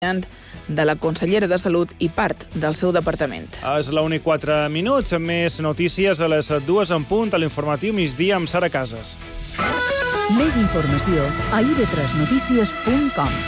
de la consellera de Salut i part del seu departament. És la 1:04, més notícies a les 2 en punt, a l'informatiu migdia amb Sara Casas. Més informació a ib3notícies.com.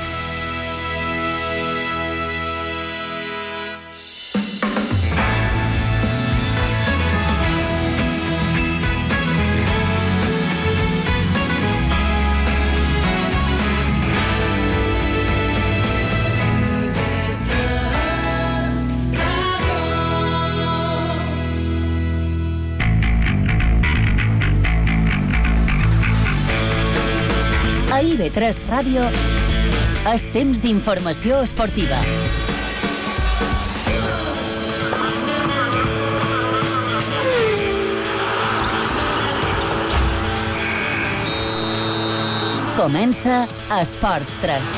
A IB3 Ràdio és temps d'informació esportiva. Comença Esports 3.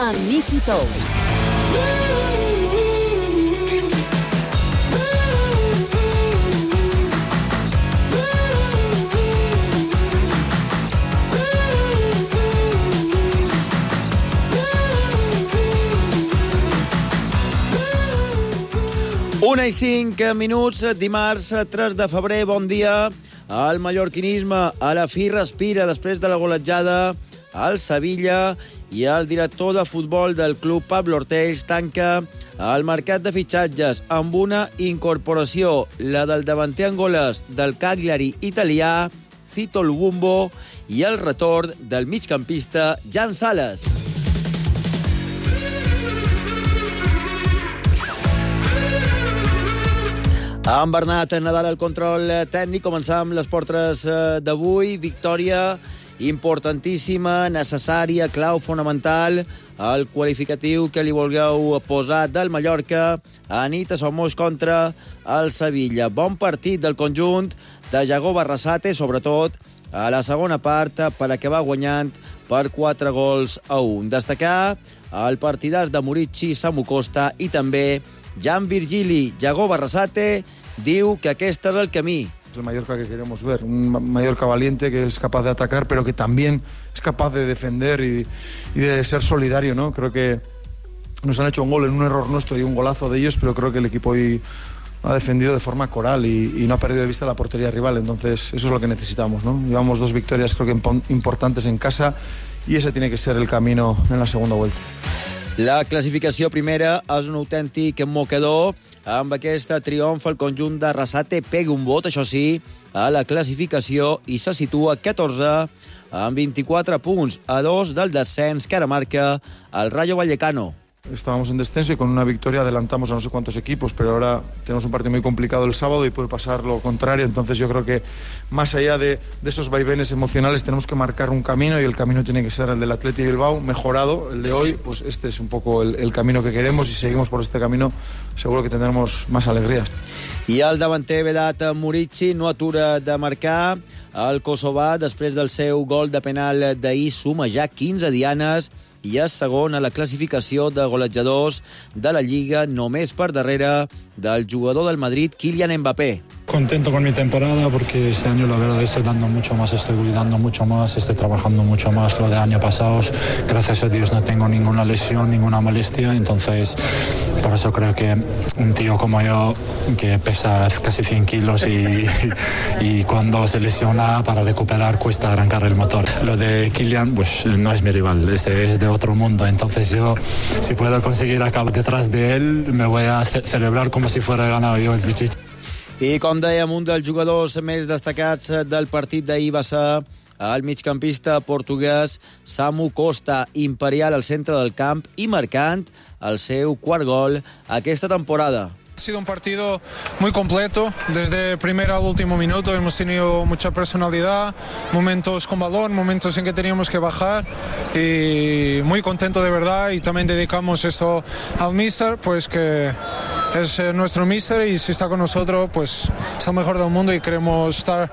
Amb Miqui Tous. Una i 5 minuts, dimarts 3 de febrer, bon dia. El mallorquinisme a la fi respira després de la golejada al Sevilla i el director de futbol del club, Pablo Ortells, tanca el mercat de fitxatges amb una incorporació, la del davanter angolès del Cagliari italià, Cito Lubumbo, i el retorn del migcampista Jan Sales. Amb Bernat Nadal al control tècnic, començam l'Esport 3 d'avui. Victòria importantíssima, necessària, clau, fonamental, el qualificatiu que li vulgueu posar del Mallorca a nit a Somos contra el Sevilla. Bon partit del conjunt de Yago Barrasate, sobretot a la segona part, per acabar guanyant per 4-1. Destacar el partidàs de Murici, Samu Costa i també Jan Virgili. Yago Barrasate diu que aquest és el camí. Es el Mallorca que queremos ver, un Mallorca valiente que es capaz de atacar, pero que también es capaz de defender y de ser solidario, ¿no? Creo que nos han hecho un gol en un error nuestro y un golazo de ellos, pero creo que el equipo hoy ha defendido de forma coral y no ha perdido de vista la portería rival, entonces eso es lo que necesitamos, ¿no? Llevamos 2 victorias creo que importantes en casa y ese tiene que ser el camino en la segunda vuelta. La classificació primera és un autèntic mocador. Amb aquest triomf el conjunt de Arrasate pega un vot, això sí, a la classificació i se situa 14 amb 24 punts, a 2 del descens que ara marca el Rayo Vallecano. Estábamos en descenso y con una victoria adelantamos a no sé cuántos equipos, pero ahora tenemos un partido muy complicado el sábado y puede pasar lo contrario. Entonces yo creo que más allá de esos vaivenes emocionales tenemos que marcar un camino y el camino tiene que ser el del Athletic Bilbao, mejorado. El de hoy, pues este es un poco el camino que queremos y si seguimos por este camino seguro que tendremos más alegrías. I el davanter Vedat Murici no atura de marcar. El kosovà, després del seu gol de penal d'ahir, suma ja 15 dianes i és segon a la classificació de golejadors de la Lliga, només per darrere del jugador del Madrid, Kylian Mbappé. Contento con mi temporada porque este año la verdad estoy dando mucho más, estoy cuidando mucho más, estoy trabajando mucho más lo de años pasados. Gracias a Dios no tengo ninguna lesión, ninguna molestia, entonces por eso creo que un tío como yo que pesa casi 100 kilos y cuando se lesiona para recuperar cuesta arrancar el motor. Lo de Kylian pues no es mi rival, este es de otro mundo, entonces yo si puedo conseguir acabar detrás de él me voy a celebrar como si fuera ganado yo el Pichichi. I com dèiem, un dels jugadors més destacats del partit d'ahir va ser el migcampista portuguès Samu Costa, imperial al centre del camp i marcant el seu quart gol aquesta temporada. Ha sido un partido muy completo, desde el primero al último minuto hemos tenido mucha personalidad, momentos con balón, momentos en que teníamos que bajar y muy contento de verdad y también dedicamos esto al míster, pues que es nuestro míster y si está con nosotros pues es el mejor del mundo y queremos estar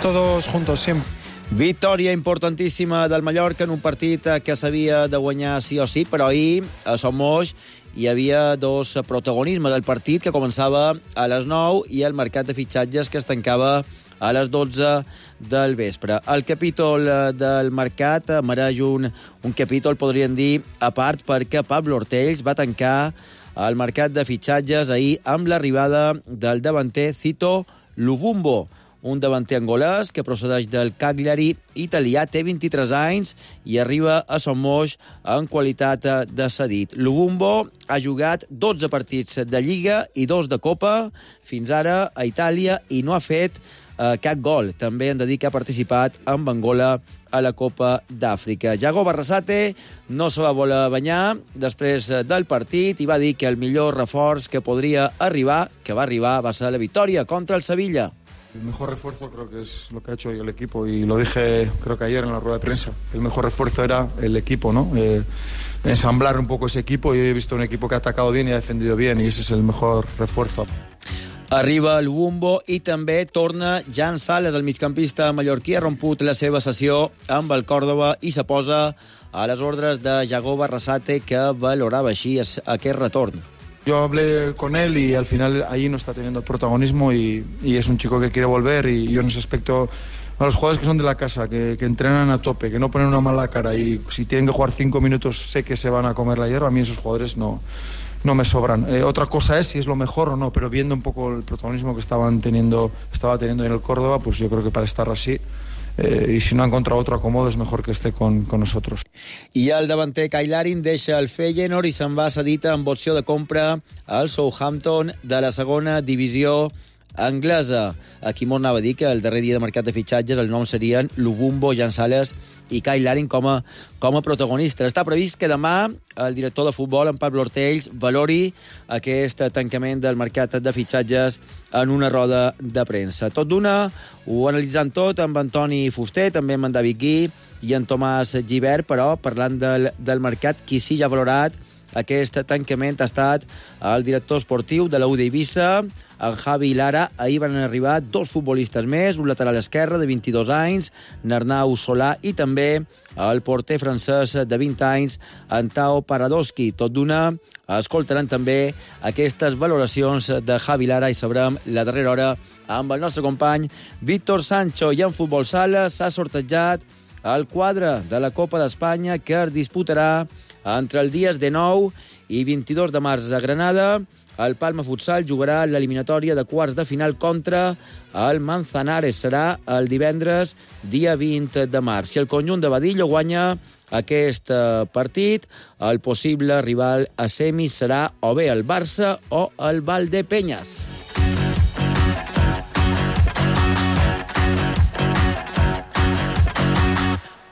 todos juntos siempre. Victòria importantíssima del Mallorca en un partit que s'havia de guanyar sí o sí, però ahir a Somos hi havia dos protagonismes. El partit que començava a les 9 i el mercat de fitxatges que es tancava a les 12 del vespre. El capítol del mercat mereix un capítol, podríem dir, a part, perquè Pablo Ortells va tancar el mercat de fitxatges ahir amb l'arribada del davanter Cito Luvumbo, un davanter angolès que procedeix del Cagliari italià, té 23 anys i arriba a Son Moix en qualitat de cedit. Luvumbo ha jugat 12 partits de Lliga i 2 de Copa fins ara a Itàlia i no ha fet cap gol. També hem de dir que ha participat amb Angola a la Copa d'Àfrica. Yagoba Arrasate no se va voler banyar després del partit i va dir que el millor reforç que podria arribar, que va arribar, va ser la victòria contra el Sevilla. El mejor refuerzo creo que es lo que ha hecho hoy el equipo y lo dije creo que ayer en la rueda de prensa. El mejor refuerzo era el equipo, ¿no? Ensamblar un poco ese equipo y he visto un equipo que ha atacado bien y ha defendido bien y ese es el mejor refuerzo. Arriba el Wumbo i també torna Jan Sales, el migcampista mallorquí, ha romput la seva sessió amb el Córdoba i se posa a les ordres de Yagoba Arrasate, que valorava així aquest retorn. Yo hablé con él y al final ahí no está teniendo el protagonismo y es un chico que quiere volver y yo en ese aspecto a los jugadores que son de la casa, que entrenan a tope, que no ponen una mala cara y si tienen que jugar 5 minutos sé que se van a comer la hierba, a mí esos jugadores no me sobran. Otra cosa es si es lo mejor o no, pero viendo un poco el protagonismo que estaba teniendo en el Córdoba, pues yo creo que para estar así y si no ha encontrado otro acomodo es mejor que esté con nosotros. I el davanter Kyle Larin deixa el Feyenoord i se'n va cedit amb opció de compra al Southampton de la segona divisió anglesa. Aquí m'ho anava a dir que el darrer dia de mercat de fitxatges el nom serien Luvumbo, Jan Sales i Kyle Larin com a protagonistes. Està previst que demà el director de futbol, en Pablo Ortells, valori aquest tancament del mercat de fitxatges en una roda de premsa. Tot d'una, ho analitzant tot amb Antoni Fuster, també amb en David Gui i en Tomàs Gibert, però parlant del mercat, qui sí ja ha valorat aquest tancament ha estat el director esportiu de la UD Eivissa, en Javi Lara. Ahir van arribar 2 futbolistes més, un lateral esquerre de 22 anys, Arnau Solà, i també el porter francès de 20 anys, Antao Paradoski. Tot d'una, escoltaran també aquestes valoracions de Javi Lara i sabrem la darrera hora amb el nostre company Víctor Sancho. I en futbol sala s'ha sortejat el quadre de la Copa d'Espanya que es disputarà entre els dies de 9 i 22 de març a Granada. El Palma Futsal jugarà l'eliminatòria de quarts de final contra el Manzanares. Serà el divendres, dia 20 de març. Si el conjunt de Badillo guanya aquest partit, el possible rival a semis serà o bé el Barça o el Valdepeñas.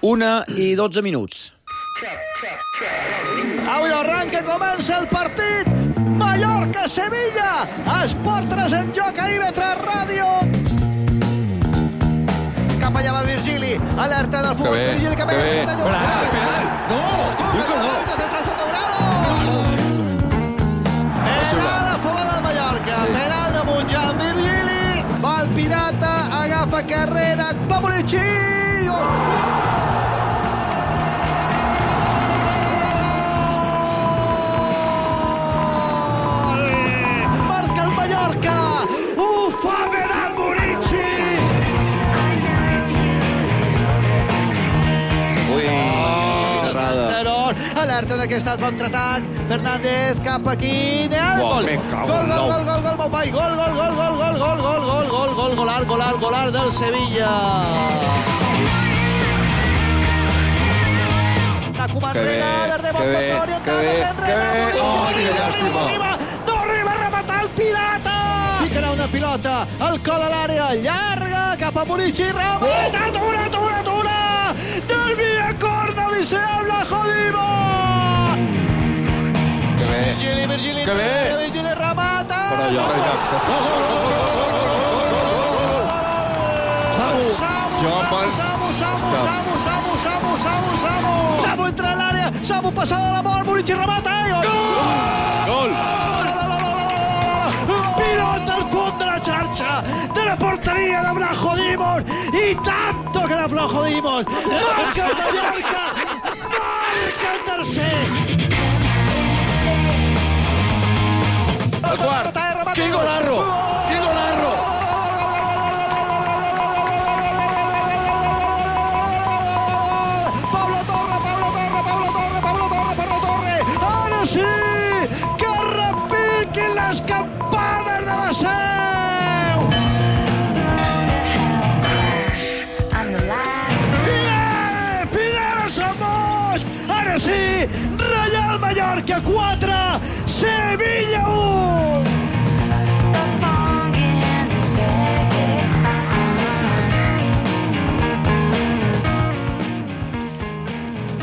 1:12 minuts. Avui arranca, comença el partit. Mallorca-Sevilla. Esport 3 en joc a IB3 Ràdio. Cap allà va Virgili. Alerta del futbol. Virgili que ve. Penal. No. Penal a favor del Mallorca. Penal de Montjan. Virgili. Va el Pirata. Agafa carrera. Va Murici. Alerta d'aquest contraatac. Fernández cap aquí. Gol, meu pai. Gol del Sevilla. La comandrena de Montgomery. Torna a rematar el Pirata. Ficarà una pilota al col a l'àrea llarga cap a Murici. Remata, atura. Del via corda li se habla Jodimo. Virgili, remata. Samu entra a l'àrea. Samu passada a la mort. Murici remata. Gol. Pilota al punt de la xarxa de la porteria de Vlachodimos i tanto que la Vlachodimos marca el Mallorca, marca el tercer. El quart. Quin golarro. toquin les campanes de la Seu! Figueres a Moix! Ara sí, Reial Mallorca 4, Sevilla 1!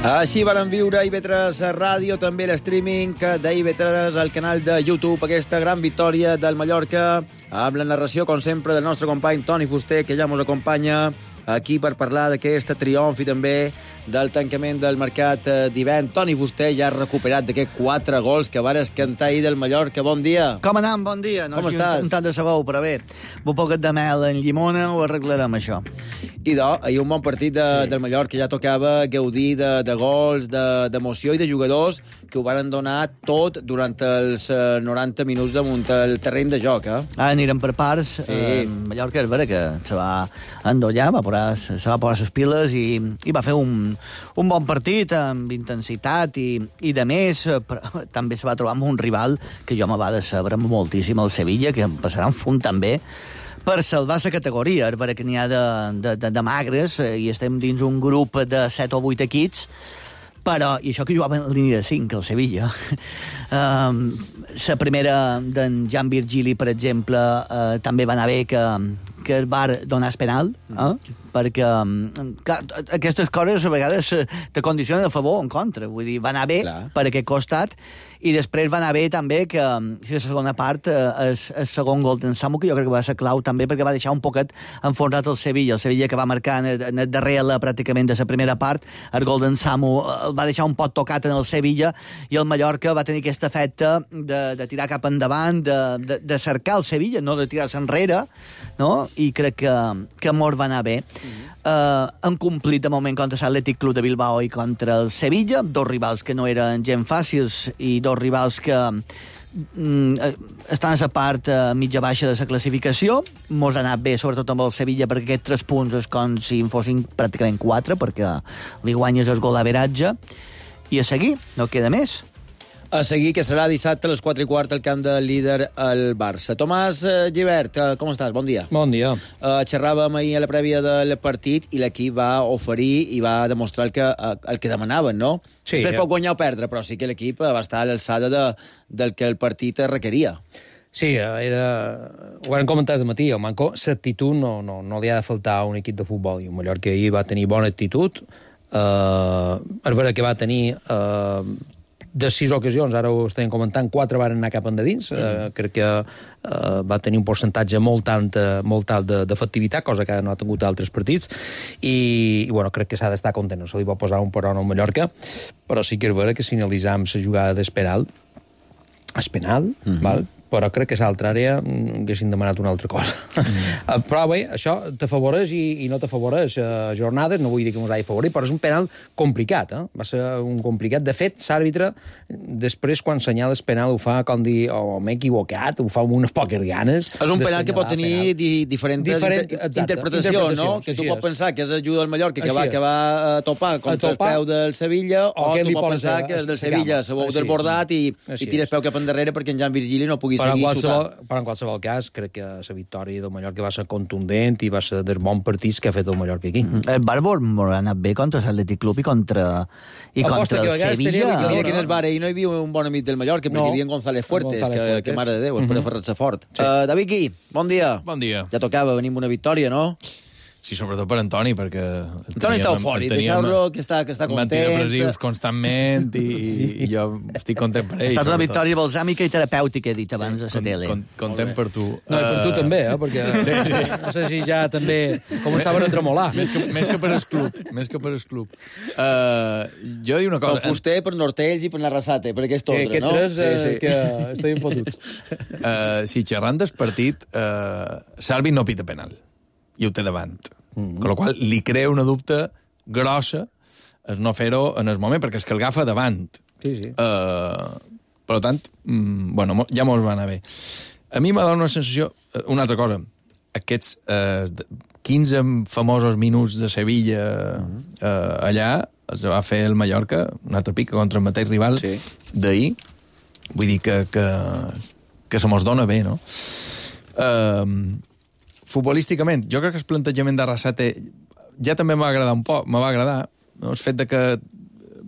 Així varen viure IB3 Ràdio, també l'streaming d'IB3 al canal de YouTube, aquesta gran victòria del Mallorca, amb la narració, com sempre, del nostre company Toni Fuster, que ja ens acompanya aquí per parlar d'aquest triomf i també del tancament del mercat d'hivern. Toni Fuster ja ha recuperat d'aquests 4 gols que vares cantar ahir del Mallorca. Bon dia. Com anem? Bon dia. Com estàs? Un tant de sabó, però bé, un poquet de mel en llimona ho arreglarem, això. Ahir un bon partit del Mallorca, ja tocava gaudir de gols, d'emoció i de jugadors que ho van donar tot durant els 90 minuts damunt el terreny de joc. Anirem per parts. Sí. Mallorca és vera que se va endollar, se va posar les piles i va fer un bon partit amb intensitat i de més, però també se va trobar amb un rival que jo me va decebre moltíssim, el Sevilla, que em passarà un fum també per salvar la categoria. És vera que n'hi ha de magres i estem dins un grup de 7 o 8 equips, però, i això que jugava en línia de 5, el Sevilla, la primera d'en Jan Virgili, per exemple, també va anar bé que es va donar el penal, perquè clar, aquestes coses a vegades te condicionen a favor o en contra. Vull dir, va anar bé per aquest costat, i després va anar bé també que la segona part, el segon gol d'en Samu, que jo crec que va ser clau també, perquè va deixar un poquet enfonsat el Sevilla que va marcar en el darrer pràcticament de la primera part. El gol d'en Samu el va deixar un poc tocat en el Sevilla, i el Mallorca va tenir aquest efecte de tirar cap endavant, de cercar el Sevilla, no de tirar-se enrere, no? I crec que mos va anar bé. Han complit de moment contra l'Atlètic Club de Bilbao i contra el Sevilla, dos rivals que no eren gens fàcils i dos rivals que estan a la part mitja-baixa de la classificació. Mos ha anat bé, sobretot amb el Sevilla, perquè aquests 3 punts és com si en fossin pràcticament 4, perquè li guanyes el gol d'averatge. I a seguir, no queda més. A seguir, que serà dissabte a les 4:15 al camp del líder, el Barça. Tomàs Gibert, com estàs? Bon dia. Bon dia. Xerràvem ahir a la prèvia del partit i l'equip va oferir i va demostrar el que demanaven, no? Sí. Després pot guanyar o perdre, però sí que l'equip va estar a l'alçada del que el partit requeria. Sí, ho vam comentar al matí, el manco, l'actitud no li ha de faltar a un equip de futbol, i el Mallorca ahir va tenir bona actitud, és vera que va tenir de 6 ocasions, ara ho estem comentant, 4 van anar cap endins, crec que va tenir un percentatge molt alt d'efectivitat, cosa que no ha tingut altres partits, i bueno, crec que s'ha d'estar content, no se li va posar un peron al Mallorca, però sí que és vera que si analitzam la jugada d'Espenal, val? Però crec que a l'altra àrea haguessin demanat una altra cosa. Però bé, això t'afavoreix i no t'afavoreix jornades, no vull dir que ens hagi favorit, però és un penal complicat, va ser un complicat. De fet, l'àrbitre, després, quan senyala el penal, ho fa com dir, m'he equivocat, ho fa amb unes poques ganes. És un penal que pot tenir diferents interpretacions, no? Que tu pots pensar que és ajuda al Mallorca, que va topar contra el peu del Sevilla, o tu pots pensar que és del Sevilla, s'ha desbordat i tires peu cap endarrere perquè en Jan Virgili no pugui seguir xutant. Però en qualsevol cas, crec que la victòria del Mallorca va ser contundent i va ser dels bons partits que ha fet el Mallorca aquí. El Bàrbol ha anat bé contra l'Atlètic Club i contra el Sevilla. Mira quin és bar, i no hi havia un bon amic del Mallorca, perquè hi havia González Fuertes, que mare de Déu, espera fer-se fort. David Gui, bon dia. Bon dia. Ja tocava venir amb una victòria, no? Sí, sobretot per Antoni, perquè... Antoni està eufòric, deixeu-lo que està content. Antidepressius constantment i jo estic content per ell. Ha estat una victòria balsàmica i terapèutica, he dit abans a la tele. Content per tu. No, i per tu també, perquè no sé si ja també començaven a tremolar. Més que per el club. Jo dic una cosa... Per Fuster, per Nortells i per Narrasate, per aquest ordre, no? Aquests tres que estem fotuts. Si xerrant del partit, Salvi no pita penal. I ho té davant. Con la qual li crea una dubte grossa el no fer-ho en el moment, perquè és que el agafa davant. Sí. Per tant, bueno, ja mos va anar bé. A mi m'ha donat una sensació... Una altra cosa, aquests 15 famosos minuts de Sevilla allà, es va fer el Mallorca, un altre pic contra el mateix rival d'ahir. Vull dir que que se mos dona bé, no? Futbolísticament, jo crec que el plantejament d'Arrasate ja també m'ha agradar un poc, me va agradar, no? El fet de que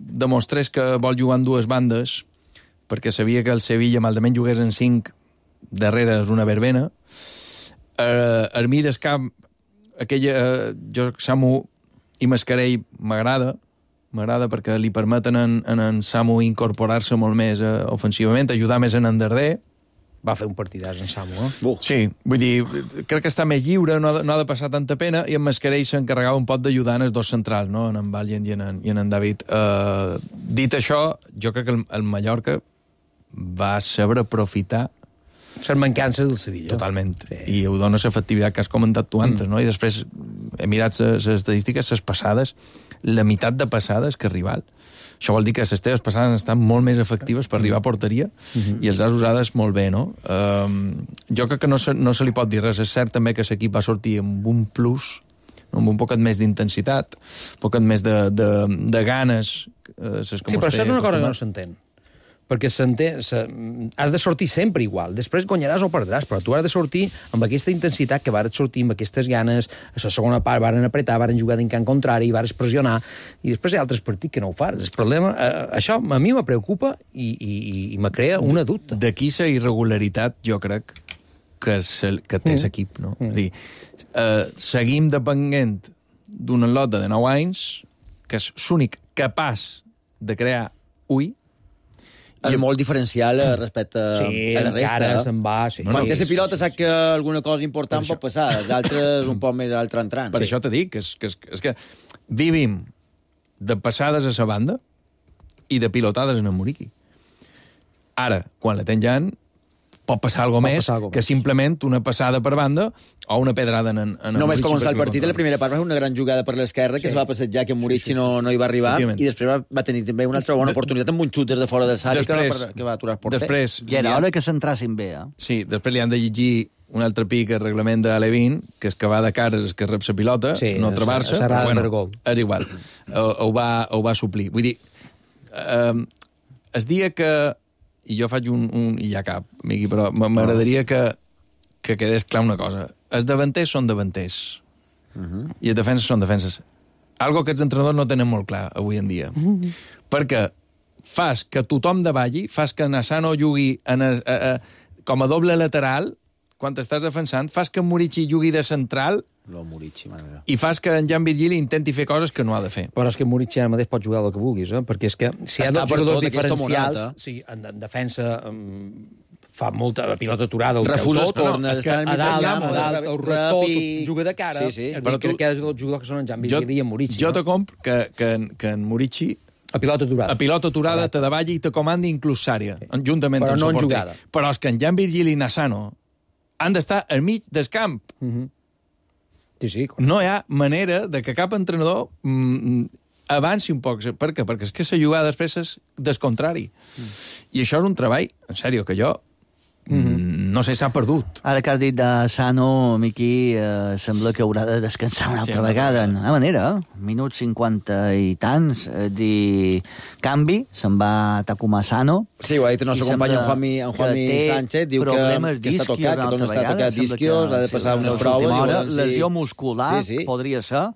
demostrés que vol jugar en dues bandes, perquè sabia que el Sevilla, malament jugués en 5, darrere és una verbena. El mig del camp, jo, Samu i Mascarell m'agrada perquè li permeten en Samu incorporar-se molt més ofensivament, ajudar més en Darder. Va fer un partidàs en Samu, Sí, vull dir, crec que està més lliure, no ha de passar tanta pena, i en Mascarell s'encarregava un pot d'ajudar en els dos centrals, no? En Valent i en David. Dit això, jo crec que el Mallorca va saber aprofitar les mancances del Sevilla. Totalment. Sí. I ho dona l'efectivitat que has comentat tu antes, no? I després he mirat les estadístiques, les passades, la meitat de passades que el rival. Això vol dir que les teves passades estan molt més efectives per arribar a porteria i els has usades molt bé, no? Jo crec que no se li pot dir res. És cert també que l'equip va sortir amb un plus, amb un poquet més d'intensitat, un poquet més de ganes. Sí, però això és una cosa que no s'entén. Perquè has de sortir sempre igual. Després guanyaràs o perdràs, però tu has de sortir amb aquesta intensitat que varen sortir, amb aquestes ganes. A la segona part varen apretar, varen jugar d'encant contrari, varen pressionar, i després hi ha altres partits que no ho fas. El problema, això a mi me preocupa i me crea una dubte. D'aquí la irregularitat, jo crec, que té l'equip, no? És a dir, seguim depenent d'un lot de 9 anys, que és l'únic capaç de crear ui. És molt diferencial respecte a la resta. Se'n va, sí. Quan té la pilota sap que alguna cosa important pot passar, els altres un poc més altre entrant. Per això t'he dit que és que vivim de passades a la banda i de pilotades en el Muriqui. Ara, quan la tens ja, pot passar alguna més que simplement una passada per banda o una pedrada en el Només començar el partit, la primera part va fer una gran jugada per l'esquerra, que es va passejar, que Muriqui no hi va arribar, i després va tenir també una altra bona oportunitat amb un xut des de fora del sac que va aturar el porter. I era hora que s'entrassin bé, Sí, després li han de llegir un altre pic al reglament de l'Alevin, que és que va de cares és que rep la pilota, no trobar-se, però bueno, és igual. Ho va suplir. Vull dir, el dia que i jo faig i ja cap, Miqui, però m'agradaria que quedés clar una cosa. Els davanters són davanters. I els defenses són defenses. Algo que els entrenadors no tenen molt clar avui en dia. Perquè fas que tothom davalli, fas que Nassano jugui com a doble lateral, quan t'estàs defensant, fas que Muriqui jugui de central i fas que en Jan Virgili intenti fer coses que no ha de fer. Però és que Muriqui ara mateix pot jugar el que vulguis, perquè és que si hi ha dos jugadors diferencials, en defensa fa molta pilota aturada, refusa corners, a dalt, el rector juga de cara, però tu quedes els jugadors que són en Jan Virgili i en Muriqui. Jo te comp que en Muriqui a pilota aturada te davalli i te comandi inclús Sària, juntament amb el porter. Però és que en Jan Virgili i Nassano han d'estar al mig del camp. No hi ha manera de que cap entrenador avanci un poc. Per què? Perquè és que la jugada després és del contrari. I això és un treball, en sèrio, que jo no sé, s'ha perdut. Ara que has dit de Sano, Miqui, sembla que haurà de descansar una altra vegada. De manera, minut 50 i tants, canvi, se'n va Takuma Sano. Sí, ho ha dit el nostre company en Juanmi Sánchez, diu que està tocat, que torna a estar tocat d'isquios, ha de passar unes proves. Lesió muscular, podria ser,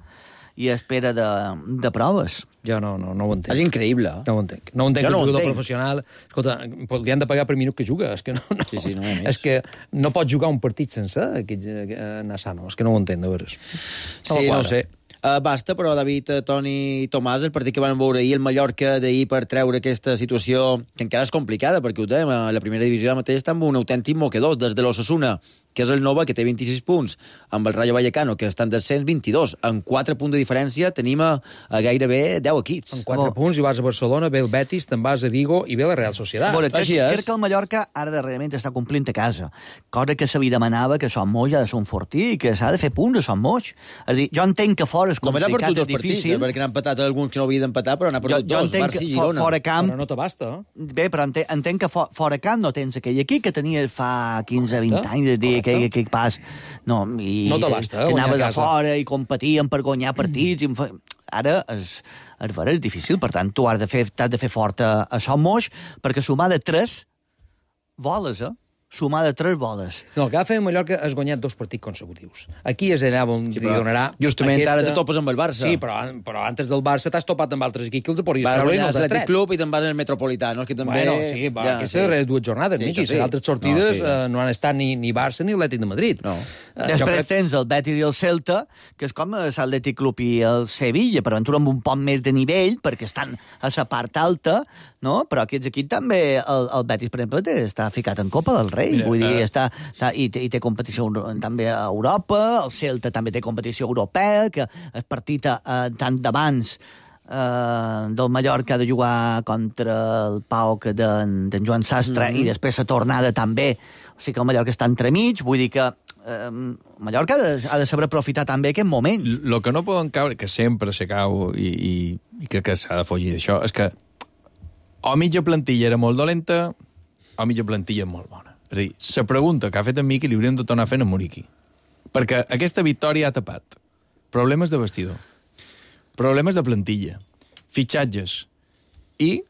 i espera de proves. Jo no ho entenc. És increïble. No ho entenc. No ho entenc que un jugador professional... Escolta, li han de pagar per minut que juga. És que és que no pot jugar un partit sense Nassano. És que no ho entenc, de veres. Sí, no sé. Basta, però, David, Toni i Tomàs, el partit que van veure ahir, el Mallorca d'ahir, per treure aquesta situació, que encara és complicada, perquè ho dèiem, a la primera divisió mateix està amb un autèntic moquedor, des de l'Osasuna, que és el Nova, que té 26 punts, amb el Rayo Vallecano, que estan descens 22. En 4 punts de diferència tenim a gairebé 10 equips. En 4 punts, i vas a Barcelona, ve el Betis, te'n vas a Vigo i ve la Real Sociedad. Així és. Crec que el Mallorca ara darrerament està complint a casa. Cosa que se li demanava que Son Moix ha de ser un fortí i que s'ha de fer punts a Son Moix. És a dir, jo entenc que fora és complicat, és difícil. Partits, perquè n'han empatat alguns que no havien d'empatar, però n'ha perdut dos, Barça i Girona. Fora camp... Però no t'abasta. Bé, però entenc que fora camp no tens aquell equip que tenies fa 15-20 anys, de dir aquell pas... No t'abasta, que anaves a fora i competien per guanyar partits. Ara és difícil, per tant, tu has de fer fort a Son Moix, perquè sumar de 3 voles, sumar de 3 boles. No, el que va fer Mallorca és guanyar 2 partits consecutius. Aquí és allà on li donarà... Justament ara te topes amb el Barça. Sí, però antes del Barça t'has topat amb altres equips que els podries treure i no els has tret. Club i te'n vas al Metropolitano, que també... Bueno, sí, aquestes darreres 2 jornades, Miqui. Les altres sortides no han estat ni Barça ni Atlètic de Madrid. No. Després tens el Betis i el Celta, que és com l'Atlètic Club i el Sevilla, però aventura amb un poc més de nivell, perquè estan a la part alta, no? Però aquests equips també, el Betis, per exemple, està ficat en Copa del Rei. Mira, vull dir, i té competició també a Europa, el Celta també té competició europea, que el partit tant d'abans del Mallorca ha de jugar contra el PAOK d'en Joan Sastre i després la tornada també. O sigui que el Mallorca està entremig, vull dir que Mallorca ha de saber aprofitar també aquest moment. El que no poden caure, que sempre se cau i crec que s'ha de fugir d'això, és que o mitja plantilla era molt dolenta o mitja plantilla molt bona. És a dir, la pregunta que ha fet en Miqui li hauríem de tornar a fer en Muriqui. Perquè aquesta victòria ha tapat problemes de vestidor, problemes de plantilla, fitxatges, i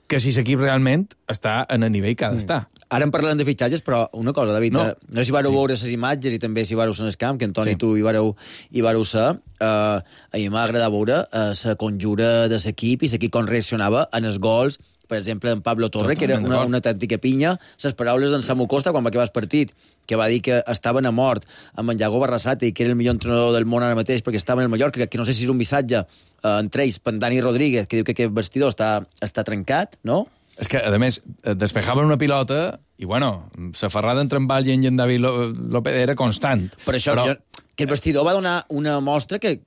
que si l'equip realment està en el nivell que ha d'estar. Ara en parlem de fitxatges, però una cosa, David, no sé si vareu veure les imatges i també si vareu ser en el camp, que Antoni i tu hi vareu ser, a mi m'ha agradat veure la conjura de l'equip i l'equip com reaccionava en els gols, per exemple, en Pablo Torre, que era una autèntica pinya, les paraules d'en Samu Costa quan va acabar el partit, que va dir que estaven a mort amb en Iago Barrasate i que era el millor entrenador del món ara mateix perquè estava en el Mallorca, que no sé si és un missatge entre ells, per Dani Rodríguez, que diu que aquest vestidor està trencat, no? És que, a més, despejaven una pilota i, bueno, la ferrada entre en Valle i en David López era constant. Per això, que el vestidor va donar una mostra que,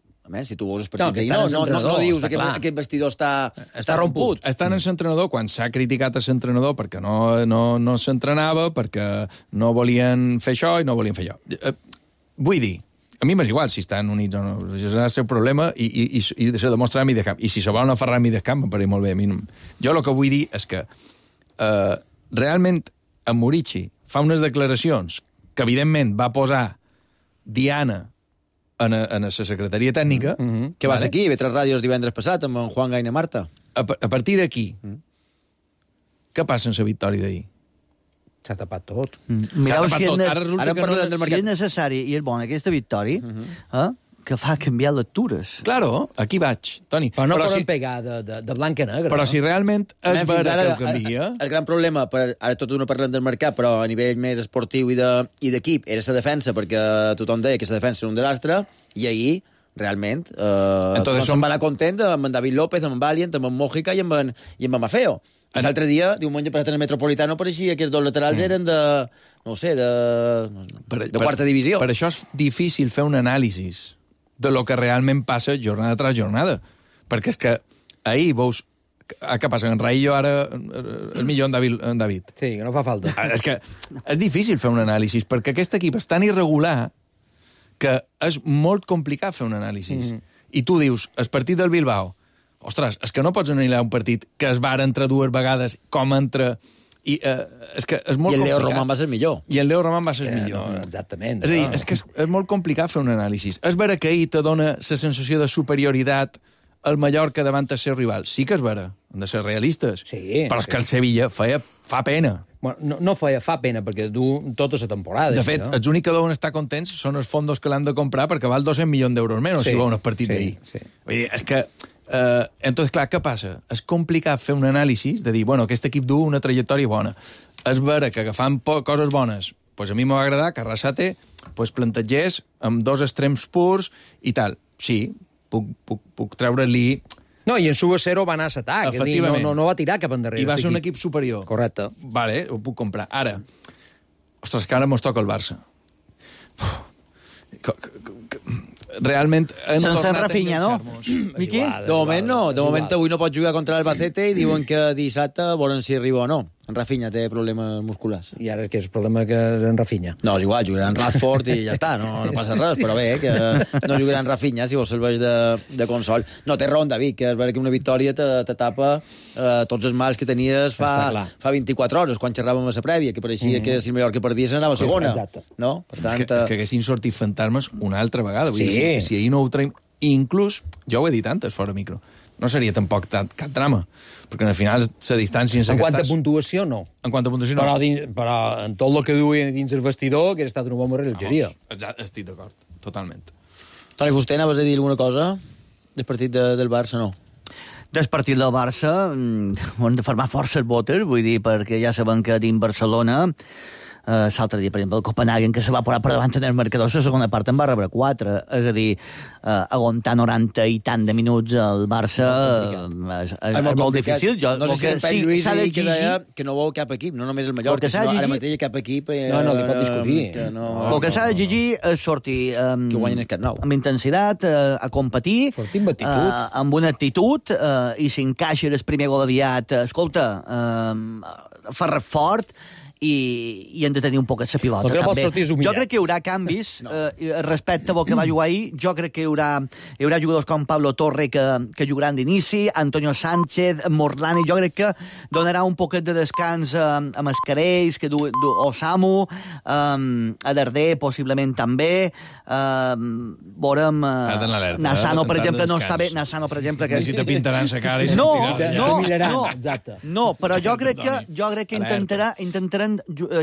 si tu veus el partit no dius que aquest vestidor està romput. Estan en l'entrenador quan s'ha criticat a l'entrenador perquè no s'entrenava, perquè no volien fer això i no volien fer allò. Vull dir, a mi m'és igual si estan units o no. És el seu problema i se demostra a mi de camp. I si se volen aferrar a mi de camp, em pareix molt bé. Jo el que vull dir és que realment en Muriqui fa unes declaracions que evidentment va posar Diana en la secretaria tècnica. Que vas aquí, V3 Ràdios divendres passat, amb en Juan Gaina Marta. A partir d'aquí, què passa en la victòria d'ahir? S'ha tapat tot. Mireu si és necessari i és bona aquesta victòria, que fa canviar lectures. Claro, aquí vaig, Toni. Però no poden pegar de blanc a negre. Però si realment és vera que ho canvia... El gran problema, ara tot no parlem del mercat, però a nivell més esportiu i d'equip, era la defensa, perquè tothom deia que la defensa era un desastre, i ahir, realment, tothom se'n va anar content amb en David López, amb en Valiant, amb en Mójica i amb en Mafeo. L'altre dia, diumenge passat en el Metropolitano, pareixia que els dos laterals eren de, no sé, de quarta divisió. Per això és difícil fer un anàlisi de lo que realment passa jornada tras jornada. Perquè és que ahir veus... Què passa? En Raillo ara el millor en David. Sí, que no fa falta. És que és difícil fer un anàlisi, perquè aquest equip és tan irregular que és molt complicat fer un anàlisi. I tu dius, el partit del Bilbao, ostres, és que no pots analitzar un partit que es va entre 2 vegades com entre... I és que és molt complicat. I el Leo Roman va ser millor. I el Leo Roman va ser millor. No, exactament. És a dir, és que és molt complicat fer un anàlisi. És vera que ahir te dona la sensació de superioritat al Mallorca davant el seu rival. Sí que és vera, hem de ser realistes. Sí. Però és que el Sevilla fa pena. Bueno, no fa pena, perquè du tota la temporada. De fet, els únics que deuen estar contents són els fondos que l'han de comprar perquè val 200 milions d'euros menys si veuen el partit d'ahir. Vull dir, és que... entonces, clar, què passa? És complicat fer un anàlisi de dir, bueno, aquest equip du una trajectòria bona. És vera que agafant coses bones, pues a mi m'ha agradat que Arrasate plantegés amb 2 extrems purs i tal. Sí, puc treure-li... No, i en su 0 va anar a l'atac. Efectivament. No va tirar cap endarrere. I va ser un equip superior. Correcte. Vale, ho puc comprar. Ara, ostres, que ara mos toca el Barça. Realment hem sense Rafinha, no? Miqui? De moment no. De moment avui no pot jugar contra l'Albacete i diuen que dissabte volen si arriba o no. En Rafinha té problemes musculars. I ara que és el problema que és en Rafinha? No, és igual, jugarà en Rashford i ja està, no passa res, però bé, que no jugarà en Rafinha si vos serveix de consol. No, té raó, David, que és vera que una victòria te tapa tots els mals que tenies fa 24 hores, quan xerràvem a la prèvia, que pareixia que si el Mallorca perdia se n'anava a segona. Exacte. No? Per tant, és que haguessin sortit fantasmes una altra vegada. Vull dir, si ahir no ho traiem... I inclús, jo ho he dit antes, fora micro, no seria tampoc cap drama, perquè al final la distància... En quant a puntuació, no. En quant a puntuació, no. Però en tot el que duien dins el vestidor, que ha estat una bona rellotgeria. Estic d'acord, totalment. Toni Fuster, anaves a dir alguna cosa del partit del Barça, no? Del partit del Barça hem de formar forces botes, vull dir, perquè ja sabem que dins Barcelona l'altre dia, per exemple, el Copenhagen, que se va posar per davant en el marcador, la segona part en va rebre 4. És a dir, aguantar 90 i tant de minuts al Barça és molt difícil. No sé si en Pep Lluís que deia que no veu cap equip, no només el Mallorca, sinó ara mateix cap equip... No, li pot discutir. El que s'ha d'exigir és sortir amb intensitat, a competir, amb una actitud, i si encaixa el primer gol aviat, escolta, fer fort, i hem de tenir un poquet la pilota, també. Jo crec que hi haurà canvis respecte a el que va jugar ahir. Jo crec que hi haurà jugadors com Pablo Torre que jugaran d'inici, Antonio Sánchez, Morlani. Jo crec que donarà un poquet de descans a Mascarells, o Samu, a Darder, possiblement també. Veurem... Nassano, per exemple, no està bé. Nassano, per exemple... Si te pintaran la cara i No, però jo crec que intentaran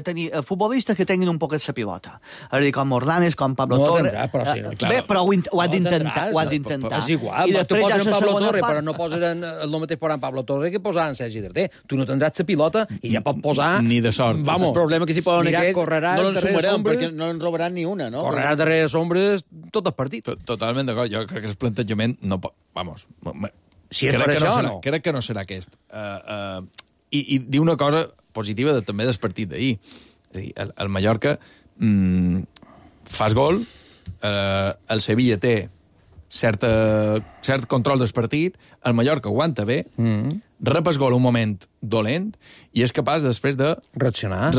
tenir futbolistes que tinguin un poquet la pilota. És a dir, com Morlanes, com Pablo Torre... Bé, però ho han d'intentar. És igual, tu poses en Pablo Torre, però no posaran el mateix posant Pablo Torre que posant Sergi Darder. Tu no tindràs la pilota i ja pot posar... Ni de sort. El problema que si posen aquests no l'ensumarem, perquè no en robaran ni una, no? Correrà darrere les ombres tot el partit. Totalment d'acord. Jo crec que el plantejament no pot... Vamos. Si és per això, no. Crec que no serà aquest. I dir una cosa positiva també del partit d'ahir. És a dir, el Mallorca fas gol, el Sevilla té cert control del partit, el Mallorca aguanta bé, rep el gol un moment dolent i és capaç després de reaccionar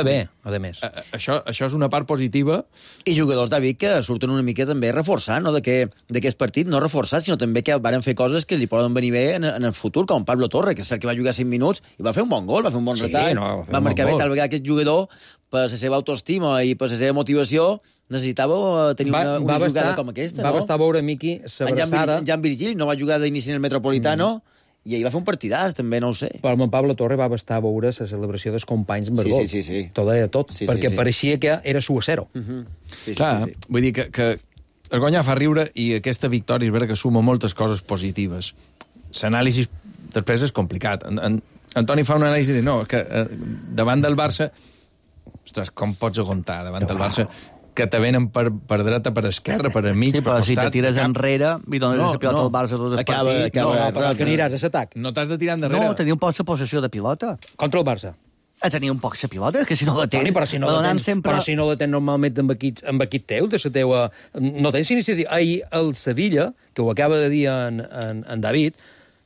bé, a més. Això és una part positiva. I jugadors, David, que surten una mica també reforçant, no? D'aquest partit, no reforçat, sinó també que varen fer coses que li poden venir bé en el futur, com Pablo Torre, que és el que va jugar 5 minuts i va fer un bon gol, va fer un bon retall, va marcar bé, tal vegada aquest jugador, per la seva autoestima i per la seva motivació, necessitava tenir una jugada com aquesta, no? Va bastar veure, Miqui, s'abraçada... En Jan Virgili no va jugar d'inici en el Metropolitano, i ahir va fer un partidàs, també, no ho sé. Però el Pablo Torre va bastar veure la celebració dels companys amb el gol. Sí. Tot, perquè pareixia que era su a 0. Clar, vull dir que el guanyar fa riure i aquesta victòria és vera que suma moltes coses positives. L'anàlisi després és complicat. Antoni fa una anàlisi de no, que davant del Barça... Ostres, com pots aguantar davant del Barça que te venen per dreta, per esquerra, per enmig, per costat... Sí, però si te tires enrere i dones la pilota al Barça tot el partit... Però que aniràs a l'atac. No t'has de tirar endarrere. No, tenia un poc la possessió de pilota. Contra el Barça. Tenir un poc la pilota, és que si no la tens... Però si no la tens normalment amb equip teu, de la teua... No tens iniciativa. Ahir el Sevilla, que ho acaba de dir en David,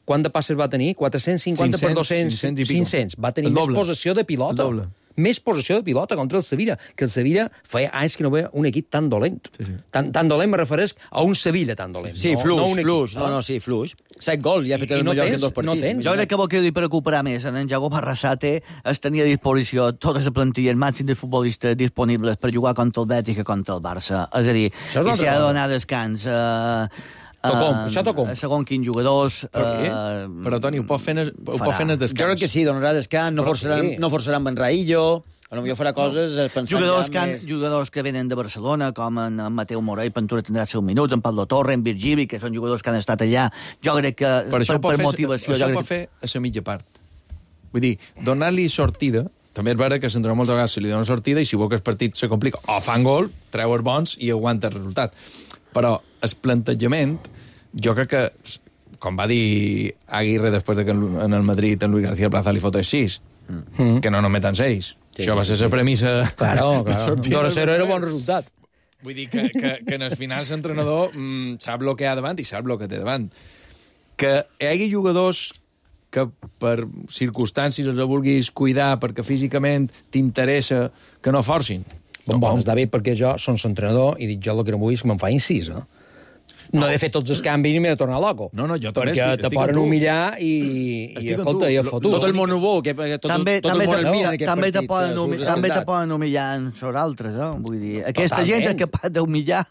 quant de passes va tenir? 450 per 200? 500. Va tenir més possessió de pilota. El doble. Més possessió de pilota contra el Sevilla, que el Sevilla feia anys que no veia un equip tan dolent. Tan dolent me refereix a un Sevilla tan dolent. Sí, fluix. Sí, fluix. 7 gols ja ha fet el Mallorca en 2 partits. Jo crec que el que li preocuparà més en Jacob Arrasate és tenir a disposició tota la plantilla, el màxim de futbolistes disponibles per jugar contra el Betis i contra el Barça. És a dir, si ha de donar descans... Això tocom. Segons quins jugadors... Però, Toni, ho pot fer en el descans. Jo crec que sí, donarà descans, no forçaran Ben Raillo, potser farà coses pensant jugadors que venen de Barcelona, com en Mateu Morell, Ventura tindrà 5 minuts, en Pablo Torre, en Virgili, que són jugadors que han estat allà. Jo crec que per motivació... Això ho pot fer a la mitja part. Vull dir, donar-li sortida... També és vera que s'entra moltes vegades, se li dona sortida i si vol que el partit se complica, o fan gol, treu els bons i aguanta el resultat. Però el plantejament, jo crec que, com va dir Aguirre després de que en el Madrid en Luis García Plaza li fotés 6, que no nometen 6. Això va ser la premissa... Claro. 2-0 era bon resultat. Vull dir que en el final l'entrenador sap el que hi ha davant i sap el que té davant. Que hi hagi jugadors que per circumstàncies els vulguis cuidar perquè físicament t'interessa que no forcin. Bon, està bé, perquè jo som l'entrenador i dic jo el que no vull és que me'n fain 6, No he de fer tots els canvis ni m'he de tornar loco. No, jo també perquè te poden humillar i escolta, i el fotut. Tot el món ho vol, que tot el món el mira en aquest també partit. També te poden humillar sobre altres, vull dir, aquesta gent és capaç d'humillar.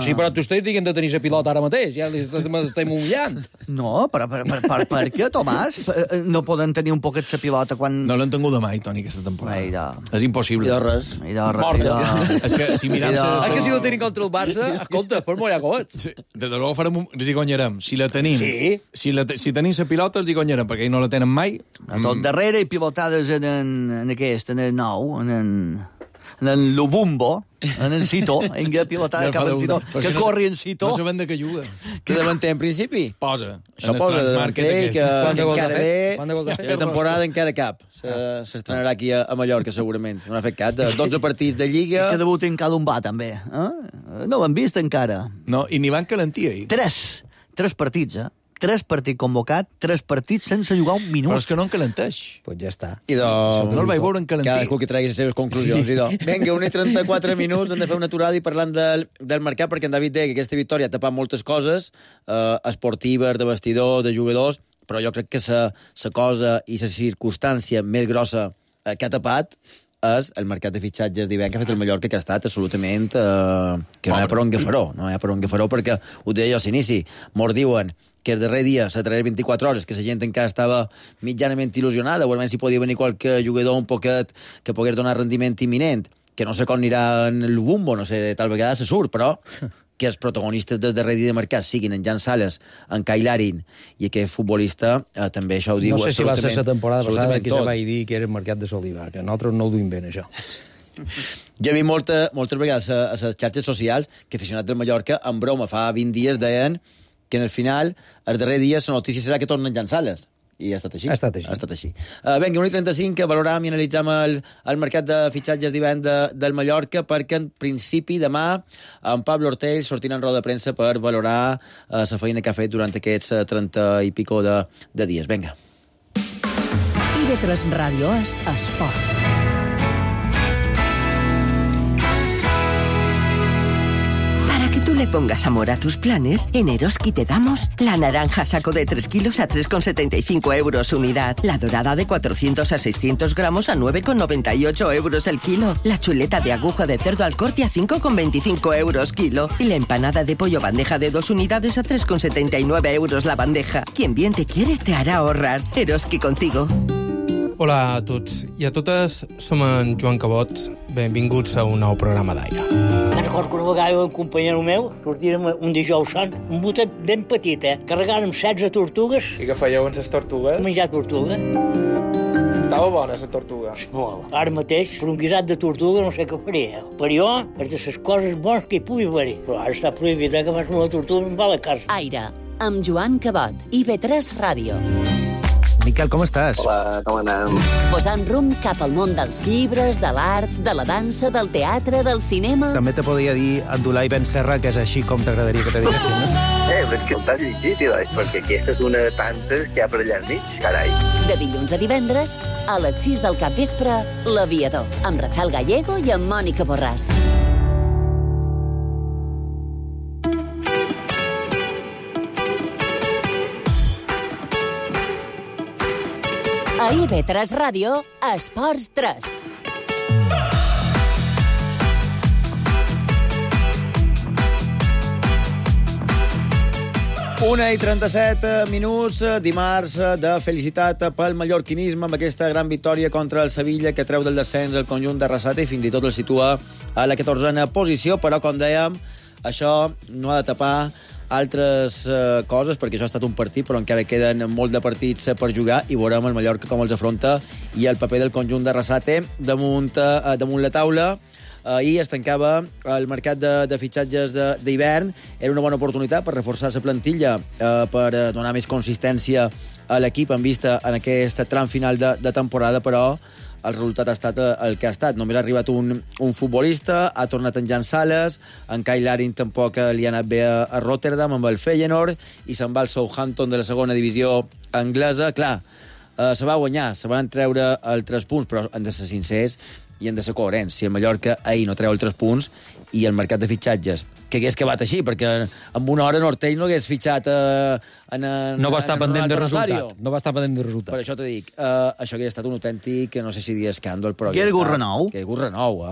Sí, però tu estàs dient de tenir la pilota ara mateix, ja l'estem humillant. No, però per què, Tomàs? No poden tenir un poquet la pilota quan... No l'han tingut de mai, Toni, aquesta temporada. És impossible. I de res. És que si mirem... És que si no tenim contra el Barça, escolta, pues molt llagot. De debò els hi guanyarem. Si la tenim, si tenim la pilota, els hi guanyarem, perquè no la tenen mai. A tot darrere i pilotades en el nou, en el Lubumbo, en el Cito, en què pilotada cap al Cito, que corri en Cito. No sabem de què juga. Que davanter, en principi? Posa. Això posa de davanter, que encara ve, la temporada encara cap. S'estrenarà aquí a Mallorca, segurament. No ha fet cap, 12 partits de Lliga. Que debuti en Calumbà, també. No ho han vist encara. No, i n'hi van calentir, ahir. 3 partits, 3 partits convocat, 3 partits sense jugar un minut. Però és que no en calenteix. Pues ja està. No el vaig veure en calentir. Cadascú que tregui les seves conclusions. Vinga, 1:34 minuts, hem de fer una aturada i parlant del mercat, perquè en David deia que aquesta victòria ha tapat moltes coses, esportives, de vestidor, de jugadors, però jo crec que la cosa i la circumstància més grossa que ha tapat és el mercat de fitxatges d'hivern que ha fet el Mallorca, que ha estat absolutament... que no hi ha per on agafaró, perquè ho deia jo a l'inici, mos diuen que el darrer dia, la darrera 24 hores, que la gent encara estava mitjanament il·lusionada, o almenys si podia venir qualque jugador un poquet que pogués donar rendiment imminent, que no sé com anirà en el Bumbo, no sé, tal vegada se surt, però que els protagonistes del darrer dia de mercat siguin en Jan Sales, en Kyle Larin i aquest futbolista, també això ho diu absolutament. No sé si va ser la temporada passada que tot. se va dir que era el mercat de Soliva, que nosaltres no ho duim bé, això. Jo he vist moltes vegades a les xarxes socials que aficionats del Mallorca, en broma, fa 20 dies deien que en el final, el darrer dia, la notícia serà que tornen Jan Sales. I ha estat així. Ha estat així. Vinga, 1:35, que valoràvem i analitzam el mercat de fitxatges d'hivern del Mallorca, perquè en principi demà en Pablo Ortell sortirà en roda de premsa per valorar la feina que ha fet durant aquests 30 i pico de dies. Vinga. IB3 Ràdio és esport. Le pongas amor a tus planes, en Eroski te damos la naranja saco de 3 kilos a 3,75 euros unidad, la dorada de 400 a 600 gramos a 9,98 euros el kilo, la chuleta de aguja de cerdo al corte a 5,25 euros kilo y la empanada de pollo bandeja de 2 unidades a 3,79 euros la bandeja. Quien bien te quiere te hará ahorrar. Eroski contigo. Hola a tots i a totes, som en Joan Cabot. Benvinguts a un nou programa d'Aire. Me'n recordo que una vegada un companyero meu sortirem un dijous sant, un botet ben petit, carregàrem 16 tortugues. I què fèieu amb les tortugues? Menjar tortuga. Estava bona, la tortuga. Molt. Ara mateix, per un guisat de tortuga, no sé què faria. Per jo, és de les coses bones que hi pugui haver. Però ara està prohibit que abans una tortuga em va a la casa. Aire, amb Joan Cabot, IB3 Ràdio. Miquel, com estàs? Hola, com anem? Posant rumb cap al món dels llibres, de l'art, de la dansa, del teatre, del cinema... També te podria dir Abdulai Ben Serra, que és així com t'agradaria que te diguessin, no? Però és que el t'has llegit, perquè aquesta és una de tantes que hi ha per allà enmig, carai. De dilluns a divendres, a les 6 del capvespre, L'Aviador, amb Rafael Gallego i amb Mònica Borràs. A IB3 Ràdio, Esports 3. Una i 37 minuts, dimarts de felicitat pel mallorquinisme amb aquesta gran victòria contra el Sevilla que treu del descens el conjunt de Arrasate i fins i tot el situa a la 14a posició, però com dèiem, això no ha de tapar altres coses, perquè això ha estat un partit, però encara queden molt de partits per jugar i veurem el Mallorca com els afronta i el paper del conjunt d'Arrasate damunt la taula. Ahir es tancava el mercat de fitxatges d'hivern. Era una bona oportunitat per reforçar la plantilla, per donar més consistència a l'equip en vista en aquest tram final de temporada, però el resultat ha estat el que ha estat. Només ha arribat un futbolista, ha tornat en Jan Sales, en Kyle Larin tampoc li ha anat bé a Rotterdam amb el Feyenoord i se'n va al Southampton de la segona divisió anglesa. Clar, se va guanyar, se van treure els 3 punts, però han de ser sincers i han de ser coherents. Si el Mallorca ahir no treu els 3 punts i el mercat de fitxatges hagués acabat així, perquè en una hora Nortell no hagués fitxat no va estar pendent de resultat. No va estar pendent de resultat. Per això t'ho dic, això hauria estat un autèntic, no sé si dir escàndol, però... Que era algú renou. Que era algú renou,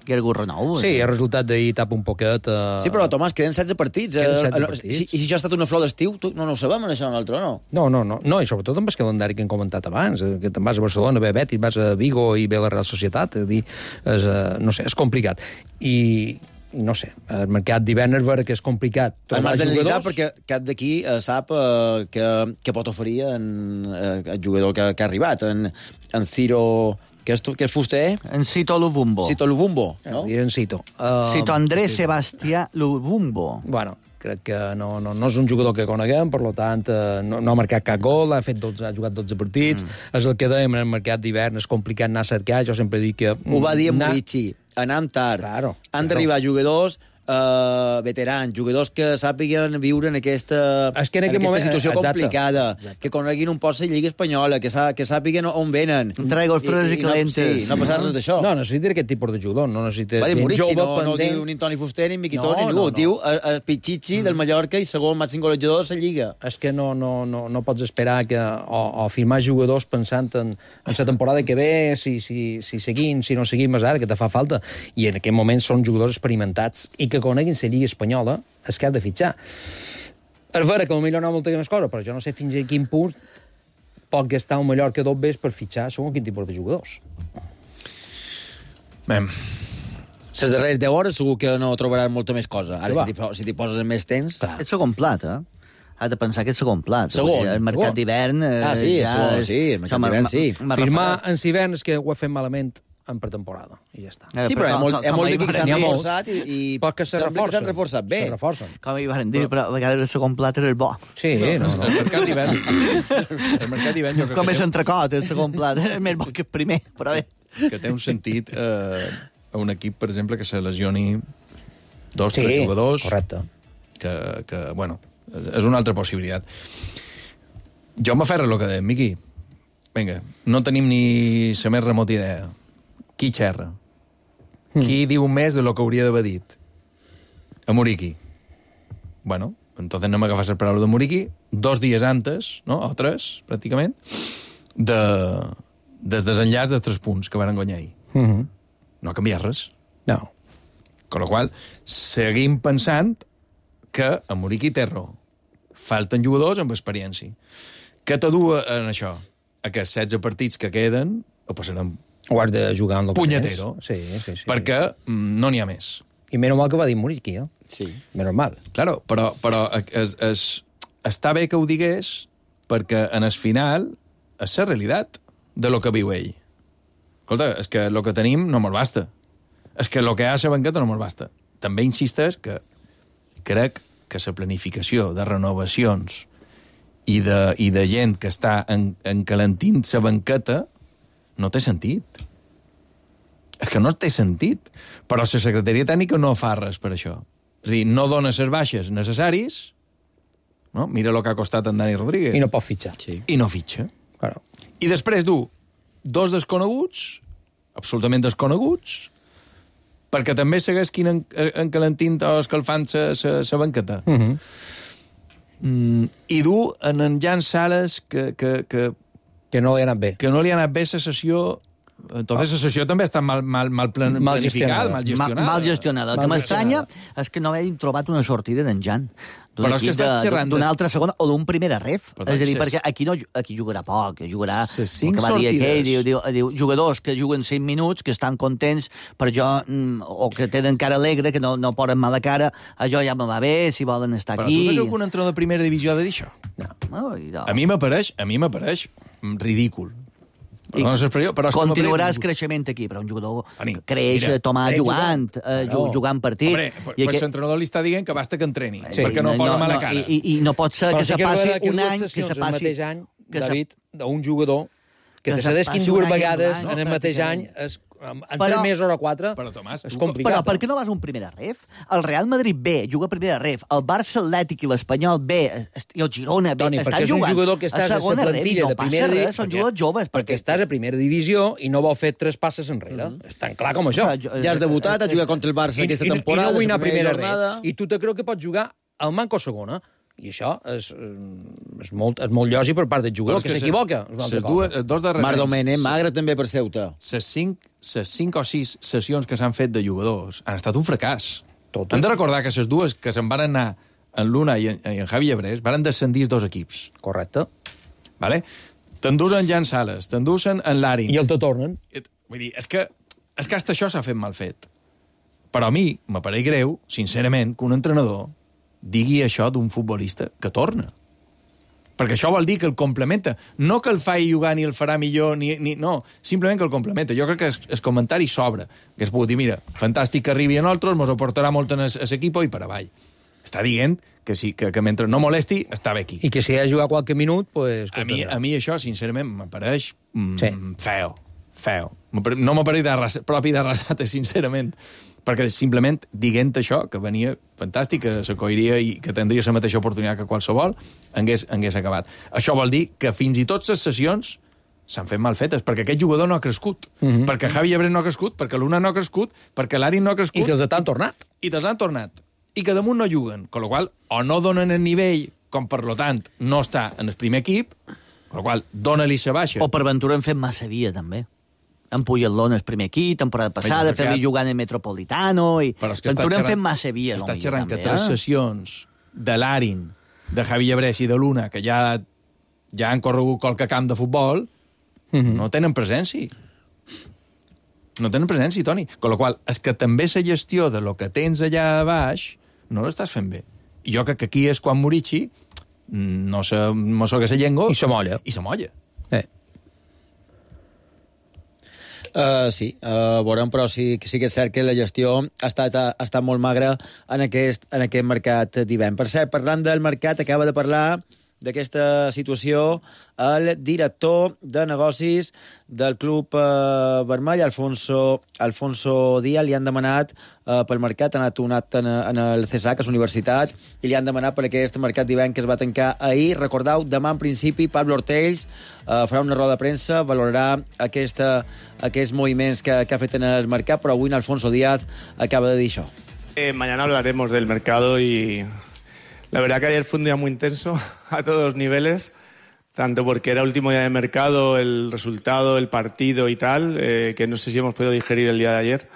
Que era algú renou. Sí, el resultat d'ahir tapa un poquet... Sí, però, Tomàs, queden 16 partits. I si això ha estat una flor d'estiu, no ho sabem, això, nosaltres, no? No, i sobretot amb el calendari que hem comentat abans, que te'n vas a Barcelona, ve Betis, vas a Vigo i ve la Real Societat, és a dir, no sé, és complicat. I no sé, el mercat d'hivern és vera que és complicat. Hem d'analitzar perquè cap d'aquí sap què pot oferir el jugador que ha arribat, en Ciro... Què és fuster? En Cito Luvumbo. Cito Luvumbo, no? En Cito. Cito Andrés Sebastià Luvumbo. Bueno, crec que no és un jugador que coneguem, per tant, no ha marcat cap gol, ha jugat 12 partits, és el que dèiem en el mercat d'hivern, és complicat anar a cercar, jo sempre dic que... Ho va dir en Murici, anem tard. Han d'arribar jugadors veterans, jugadors que sàpiguen viure en aquesta situació complicada, que coneguin un poc la Lliga Espanyola, que sàpiguen on venen. Traigos fres i calentes. Sí, no passar res d'això. No necessita aquest tipus de jugador, no necessita... Va dir Murici, no diu ni Toni Fuster, ni Miquitó, ni ningú. Diu el Pichichi del Mallorca i segon màxim golejador de la Lliga. És que no pots esperar o firmar jugadors pensant en la temporada que ve, si seguim, si no seguim, és ara que te fa falta. I en aquest moment són jugadors experimentats i que coneguin la Lliga Espanyola, és que has de fitxar. És vera que potser no ha molta més cosa, però jo no sé fins a quin punt pot gastar un Mallorca dos vés per fitxar segons quin tipus de jugadors. Bé, les darreres 10 hores segur que no trobaràs molta més cosa. Ara, si t'hi poses més temps... És segon plat, Has de pensar que és segon plat. Segon. El mercat d'hivern... Sí, el mercat d'hivern, sí. Firmar en hivern és que ho he fet malament en pretemporada, i ja està. Sí, però hi ha molt d'aquí que s'han reforçat i sembla que s'han reforçat bé. Com hi van dir, però a vegades el segon plat era el bo. Sí, el mercat d'hivern. El mercat d'hivern jo crec que... Com és entrecot, el segon plat, és més bo que el primer, però bé. Que té un sentit a un equip, per exemple, que se lesioni 2-3 jugadors. Correcte. Que, bueno, és una altra possibilitat. Jo m'aferro a lo que deia, Miqui. Vinga, no tenim ni la més remota idea. Qui xerra? Qui diu més de lo que hauria d'haver dit? A Muriqui. Bueno, entonces no m'agafas el paraula de Muriqui 2 dies antes, no? O 3, pràcticament, des desenllaç dels 3 punts que van guanyar ahir. No ha canviat res. No. Con la qual seguim pensant que a Muriqui té raó. Falten jugadors amb experiència. Què t'adú en això? A que 16 partits que queden ho passarem ho has de jugar en el punyetero. Sí. Perquè no n'hi ha més. I menys mal que va dir Muriqui, Sí. Menys mal. Claro, però està bé que ho digués perquè en el final és la realitat de lo que viu ell. Escolta, és que el que tenim no mos basta. És que el que hi ha a la banqueta no mos basta. També insisteix que crec que la planificació de renovacions i de gent que està encalentint la banqueta no té sentit. És que no té sentit. Però la secretaria tècnica no fa res per això. És a dir, no dona les baixes necessaris, no? Mira el que ha costat en Dani Rodríguez. I no pot fitxar. Sí. I no fitxa. Claro. I després du 2 desconeguts, absolutament desconeguts, perquè també seguesquin encalentint o escalfant la banqueta. I du en Jan Sales que no li ha anat bé. Que no li ha anat bé la sessió. Entonces la sessió també està mal planificada, mal gestionada. Mal gestionada. El que m'estranya és que no hagin trobat una sortida d'en Jan. Però és que estàs xerrant... D'una altra segona o d'un primera ref. És a dir, perquè aquí jugarà poc, jugarà... El que va dir aquell, diu jugadors que juguen 5 minuts, que estan contents, per jo, o que tenen cara alegre, que no posen mala cara, això ja me va bé, si volen estar aquí... Però tu tens algun entrenador de primera divisió de dir això? No. A mi m'apareix ridícul. Però continuarà el creixement aquí, però un jugador creix, Tomà, jugant partit. Home, pues l'entrenador li està dient que basta que entreni, perquè no posa mala cara. I no pot ser que se passi un any, que se passi... El mateix any, David, d'un jugador que te cedeix 2 vegades en el mateix any en 3 mesos o 4 però, Tomàs, és complicat. Però per què no vas a un primera ref? El Real Madrid B juga a primera ref, el Barça Atlètic i l'Espanyol B i el Girona B Toni, perquè és un jugador que estàs a la plantilla de primera divisió. Són jugadors joves. Perquè estàs a primera divisió i no vol fer 3 passes enrere. És tan clar com això. Ja has debutat, has jugat contra el Barça aquesta temporada. I no vull anar a primera ref. I tu te creu que pots jugar al manco segona. I això és molt lògic per part del jugador, que s'equivoca. Marc Domènech, magre també per Ceuta. Les 5 o 6 sessions que s'han fet de jugadors han estat un fracàs. Hem de recordar que les dues que se'n van anar en l'Una i en Javi Llebrés van descendir 2 equips. Correcte. Vale? T'endusen Jan Sales, t'endusen en Larin. I el te tornen. Vull dir, és que hasta això s'ha fet mal fet. Però a mi m'apareix greu, sincerament, que un entrenador digui això d'un futbolista que torna. Perquè això vol dir que el complementa. No que el faci jugar ni el farà millor, no, simplement que el complementa. Jo crec que el comentari s'obre. Que es pot dir, mira, fantàstic que arribi a nosaltres, mos aportarà molt en l'equip i per avall. Està dient que mentre no molesti, està bé aquí. I que si ha de jugar qualque minut, pues... A mi això, sincerament, m'apareix feo. No m'apareix propi de Arrasate, sincerament. Perquè simplement dient això, que venia fantàstic, que s'acoiria i que tindria la mateixa oportunitat que qualsevol, hagués acabat. Això vol dir que fins i tot les sessions s'han fet mal fetes, perquè aquest jugador no ha crescut, perquè Javi Llebrés no ha crescut, perquè l'Una no ha crescut, perquè l'Arin no ha crescut... I que els han tornat. I te'ls han tornat. I que damunt no juguen, amb la qual o no donen el nivell, com per lo tant no està en el primer equip, amb la qual dona-li la baixa. O per Ventura hem fet massa via, també. En Puyol el primer equip, temporada passada, fer-li jugant en Metropolitano... Però és que Ventura hem fet massa via. Està xerrant que 3 sessions de l'Arin, de Javi Llebrés i de l'Una, que ja han corregut qualque camp de futbol, no tenen presència. No tenen presència, Toni. Con la qual és que també la gestió de lo que tens allà a baix no l'estàs fent bé. I jo crec que aquí és quan Murici no se mossega la llengua... I se molla. Sí, veurem, però sí que és cert que la gestió ha estat molt magra en aquest mercat d'hivern. Per cert, parlant del mercat, acaba de parlar d'aquesta situació el director de negocis del Club Vermell, Alfonso Díaz. Li han demanat pel mercat, ha anat en el CESAC, a la universitat, i li han demanat per aquest mercat d'hivern que es va tancar ahir. Recordeu, demà en principi Pablo Ortells farà una roda de premsa, valorarà aquests moviments que ha fet en el mercat, però avui Alfonso Díaz acaba de dir això. Mañana hablaremos del mercado y la verdad que ayer fue un día muy intenso a todos los niveles, tanto porque era último día de mercado, el resultado, el partido y tal, que no sé si hemos podido digerir el día de ayer.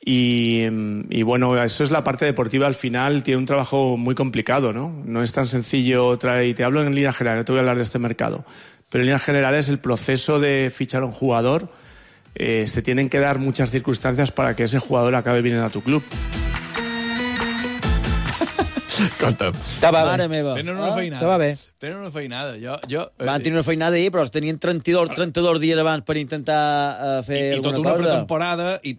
Y bueno, eso es la parte deportiva. Al final tiene un trabajo muy complicado, ¿no? No es tan sencillo traer, y te hablo en líneas generales, no te voy a hablar de este mercado, pero en líneas generales el proceso de fichar a un jugador, se tienen que dar muchas circunstancias para que ese jugador acabe viniendo a tu club. Escolta'm. Mare meva. Tenen una feinada. Estava bé. Tenen una feinada. Van tenir una feinada ahir, però tenien 32 dies abans per intentar fer alguna cosa. I tota una pretemporada i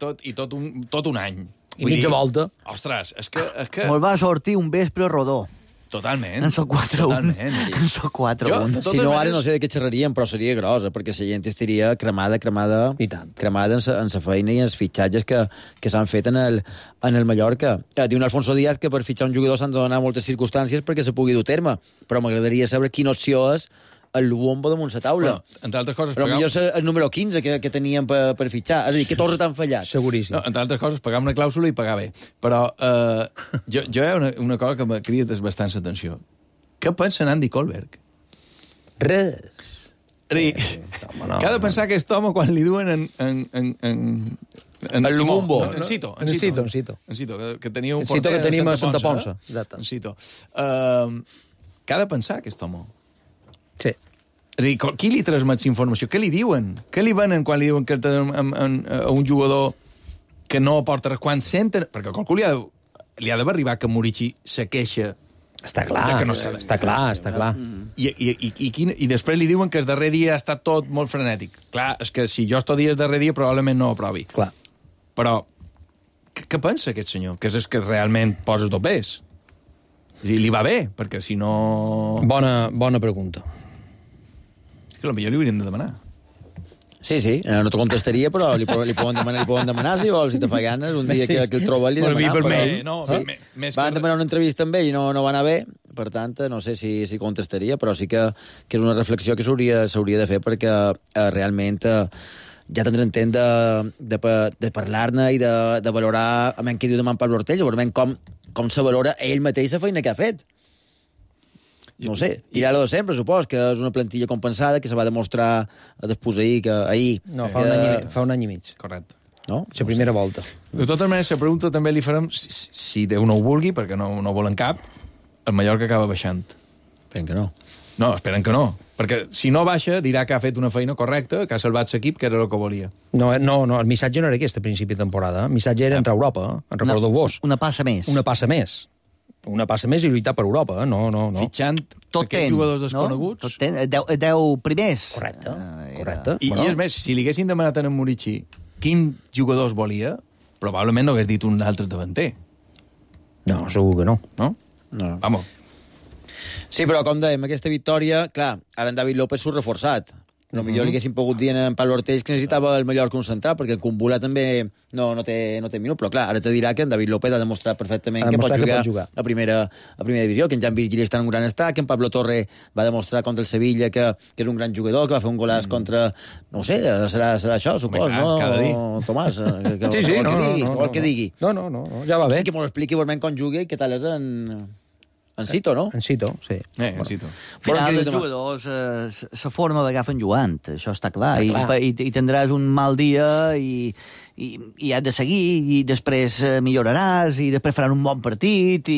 tot un any. I mitja volta. Ostres, és que... Mos va sortir un vespre rodó. Totalment. En soc 4-1. Totalment, sí. En soc 4-1. Si no, ara no sé de què xerraríem, però seria grossa, perquè la gent estaria cremada en la feina i en els fitxatges que s'han fet en el Mallorca. Diu un Alfonso Díaz que per fitxar un jugador s'han de donar moltes circumstàncies perquè se pugui dur terme, però m'agradaria saber quina opció és el bombo damunt la taula. Bueno, entre altres coses... Però millor és el número 15 que teníem per fitxar. És a dir, que tots t'han fallat. Seguríssim. No, entre altres coses, pagar una clàusula i pagar bé. Però jo hi ha una cosa que m'ha cridat bastant l'atenció. Què pensa Andy Kohlberg? Res. Que ha de pensar aquest home quan li duen en el bombo. En Cito, que tenia un porter que tenim a Santa Ponsa. En Cito. Què ha de pensar aquest home? Sí. És a dir, qui li transmet informació? Què li diuen? Què li venen quan li diuen que a un jugador que no aporta res? Quan senten... Perquè a qualcú li ha d'haver arribat que Murici se queixa. Està clar, està clar. I després li diuen que el darrer dia ha estat tot molt frenètic. Clar, és que si jo esto dia el darrer dia probablement no ho aprovi. Clar. Però què pensa aquest senyor? Que és que realment posa topers? És a dir, li va bé, perquè si no... Bona pregunta. És que potser li hauríem de demanar. Sí, no te contestaria, però li poden demanar si vols, si te fa ganes, un dia que el troba li demanar. Van demanar una entrevista amb ell i no va anar bé, per tant, no sé si contestaria, però sí que és una reflexió que s'hauria de fer perquè realment ja tindrem temps de parlar-ne i de valorar què diu demà en Pablo Ortells, veurem com se valora ell mateix la feina que ha fet. No sé, dirà-lo de sempre, supos, que és una plantilla compensada, que se va demostrar després ahir. No, fa un any i mig. Correcte. No? La primera volta. De totes maneres, la pregunta també li farem, si Déu no ho vulgui, perquè no volen cap, el Mallorca acaba baixant. Esperen que no. No, esperen que no. Perquè si no baixa, dirà que ha fet una feina correcta, que ha salvat l'equip, que era el que volia. No, el missatge no era aquest a principi de temporada. El missatge era entrar a Europa, en recordeu-vos. Una passa més. Una passa més i lluitar per Europa, no. Fitxant aquests jugadors desconeguts. Tot ten, 10 primers. Correcte. I és més, si li haguessin demanat a en Murici quin jugadors volia, probablement no hagués dit un altre davanter. No, segur que no. No? Vamos. Sí, però com dèiem, aquesta victòria, clar, ara en David López s'ho reforçat. No, millor li haguéssim pogut dir en Pablo Ortells que necessitava el Mallorca concentrat, perquè el Kumbula també no té minut, però clar, ara te dirà que en David López ha demostrat perfectament que pot jugar a primera divisió, que en Jan Virgili està en un gran estat, que en Pablo Torre va demostrar contra el Sevilla que és un gran jugador, que va fer un golàs contra... No sé, serà això, supos, no? Cada dia. Tomàs, vol que digui. No, ja va bé. Que m'ho expliqui veurem com juga i què tal és en Cito, no? En Cito, sí. En Cito. Al final, els jugadors la forma l'agafen jugant, això està clar. I tindràs un mal dia i has de seguir, i després milloraràs, i després faran un bon partit,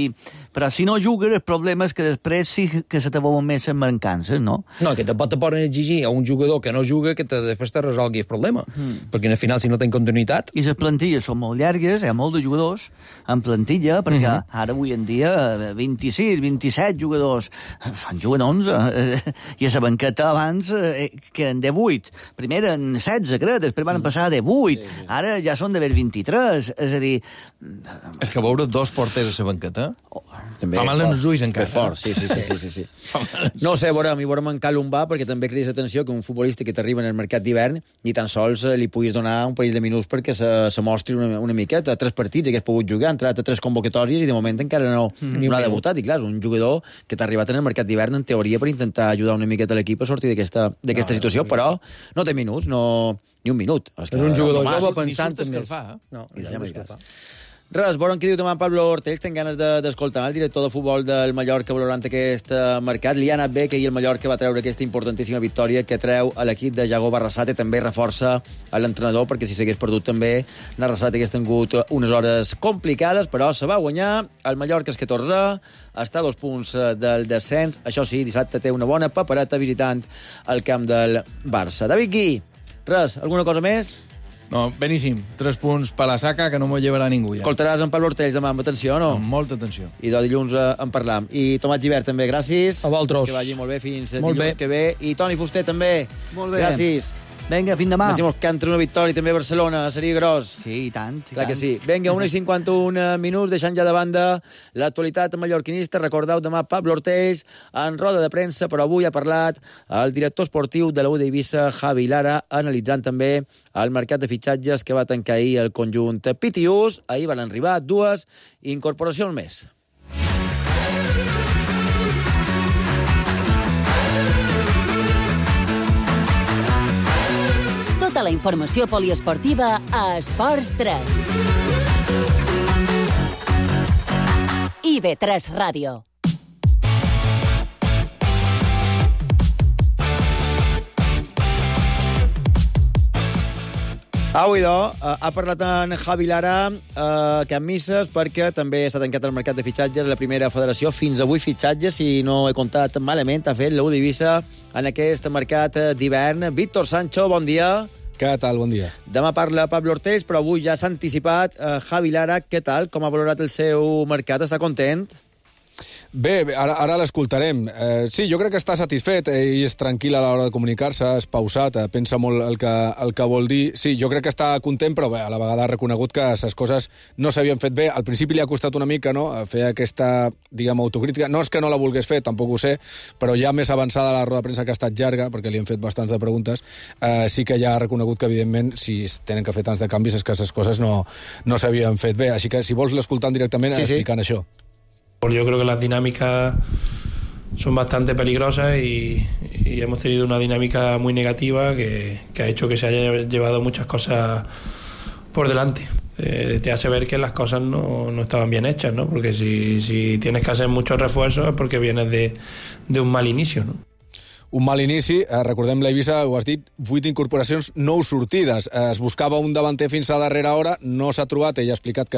però si no jugues, el problema és que després sí que se te veuen més en mancances, no? No, que tampoc te poden exigir a un jugador que no juga que després te resolgui el problema, perquè al final, si no ten continuïtat... I les plantilles són molt llargues, hi ha molt de jugadors en plantilla, perquè ara, avui en dia, 26, 27 jugadors, fan juguen 11, i a la banqueta abans que eren de 8. Primer eren 16, crec, després van passar de 8, ara ja són d'haver 23, és a dir... És que veure dos porters a la banqueta també fa mal en els ulls encara. Fort, sí. No sé, veurem en Calum va, perquè també cridis atenció que un futbolista que t'arriba en el mercat d'hivern ni tan sols li puguis donar un parell de minuts perquè se mostri una miqueta. 3 partits hagués pogut jugar, ha entrat a 3 convocatòries i de moment encara no ha debutat. I clar, és un jugador que t'ha arribat en el mercat d'hivern en teoria per intentar ajudar una miqueta a l'equip a sortir d'aquesta situació, però no té minuts, ni un minut. És un jugador jove pensant en més. No, Res, veurem què diu demà Pablo Ortells. Tenc ganes d'escoltar el director de futbol del Mallorca valorant aquest mercat. Li ha anat bé que ahir el Mallorca va treure aquesta importantíssima victòria que treu a l'equip de Jago Barrasate. També reforça a l'entrenador, perquè si s'hagués perdut també Barrasate hagués tingut unes hores complicades, però se va guanyar. El Mallorca és 14, està a 2 punts del descens. Això sí, dissabte té una bona papereta visitant el camp del Barça. David Gui, res, alguna cosa més? No, beníssim. 3 punts per la saca, que no m'ho llevarà ningú ja. Escoltaràs en Pablo Ortells demà amb atenció, no? Amb molta atenció. I de dilluns en parlam. I Tomàs Gibert també, gràcies. A vosaltres. Que vagi molt bé fins dilluns que ve. I Toni Fuster també. Molt bé. Gràcies. Vinga, fins demà. Decimos que entre una victòria també a Barcelona, seria gros. Sí, i tant. Clar que sí. Vinga, 1:51 minuts, deixant ja de banda l'actualitat mallorquinista. Recordeu, demà Pablo Ortells en roda de premsa, però avui ha parlat el director esportiu de la U d'Eivissa, Javi Lara, analitzant també el mercat de fitxatges que va tancar ahir el conjunt Pitius. Ahir van arribar 2 incorporacions més. Tota la informació poliesportiva a Esports 3. IB3 Ràdio. Avui, ha parlat en Javi Lara que amb misses, perquè també s'ha tancat el mercat de fitxatges a la primera federació. Fins avui fitxatges, si no he comptat malament, ha fet la U d'Eivissa en aquest mercat d'hivern. Víctor Sancho, bon dia. Què tal? Bon dia. Demà parla Pablo Ortells, però avui ja s'ha anticipat. Javi Lara, què tal? Com ha valorat el seu mercat? Està content? Bé, ara l'escoltarem. Sí, jo crec que està satisfet, ell és tranquil a l'hora de comunicar-se, és pausat, pensa molt el que vol dir. Sí, jo crec que està content, però bé, a la vegada ha reconegut que les coses no s'havien fet bé. Al principi li ha costat una mica, no?, fer aquesta, diguem, autocrítica. No és que no la volgués fer, tampoc ho sé, però ja més avançada la roda de premsa, que ha estat llarga, perquè li han fet bastants de preguntes, sí que ja ha reconegut que, evidentment, si tenen que fer tants de canvis és que les coses no s'havien fet bé. Així que, si vols, l'escoltant directament, explicant això. Yo creo que las dinámicas son bastante peligrosas y hemos tenido una dinámica muy negativa que ha hecho que se haya llevado muchas cosas por delante. Te hace ver que las cosas no estaban bien hechas, ¿no? Porque si tienes que hacer muchos refuerzos es porque vienes de un mal inicio, ¿no? Un mal inici, recordem l'Eivissa, ho has dit, 8 incorporacions, 9 sortides. Es buscava un davanter fins a darrera hora, no s'ha trobat, ell ha explicat que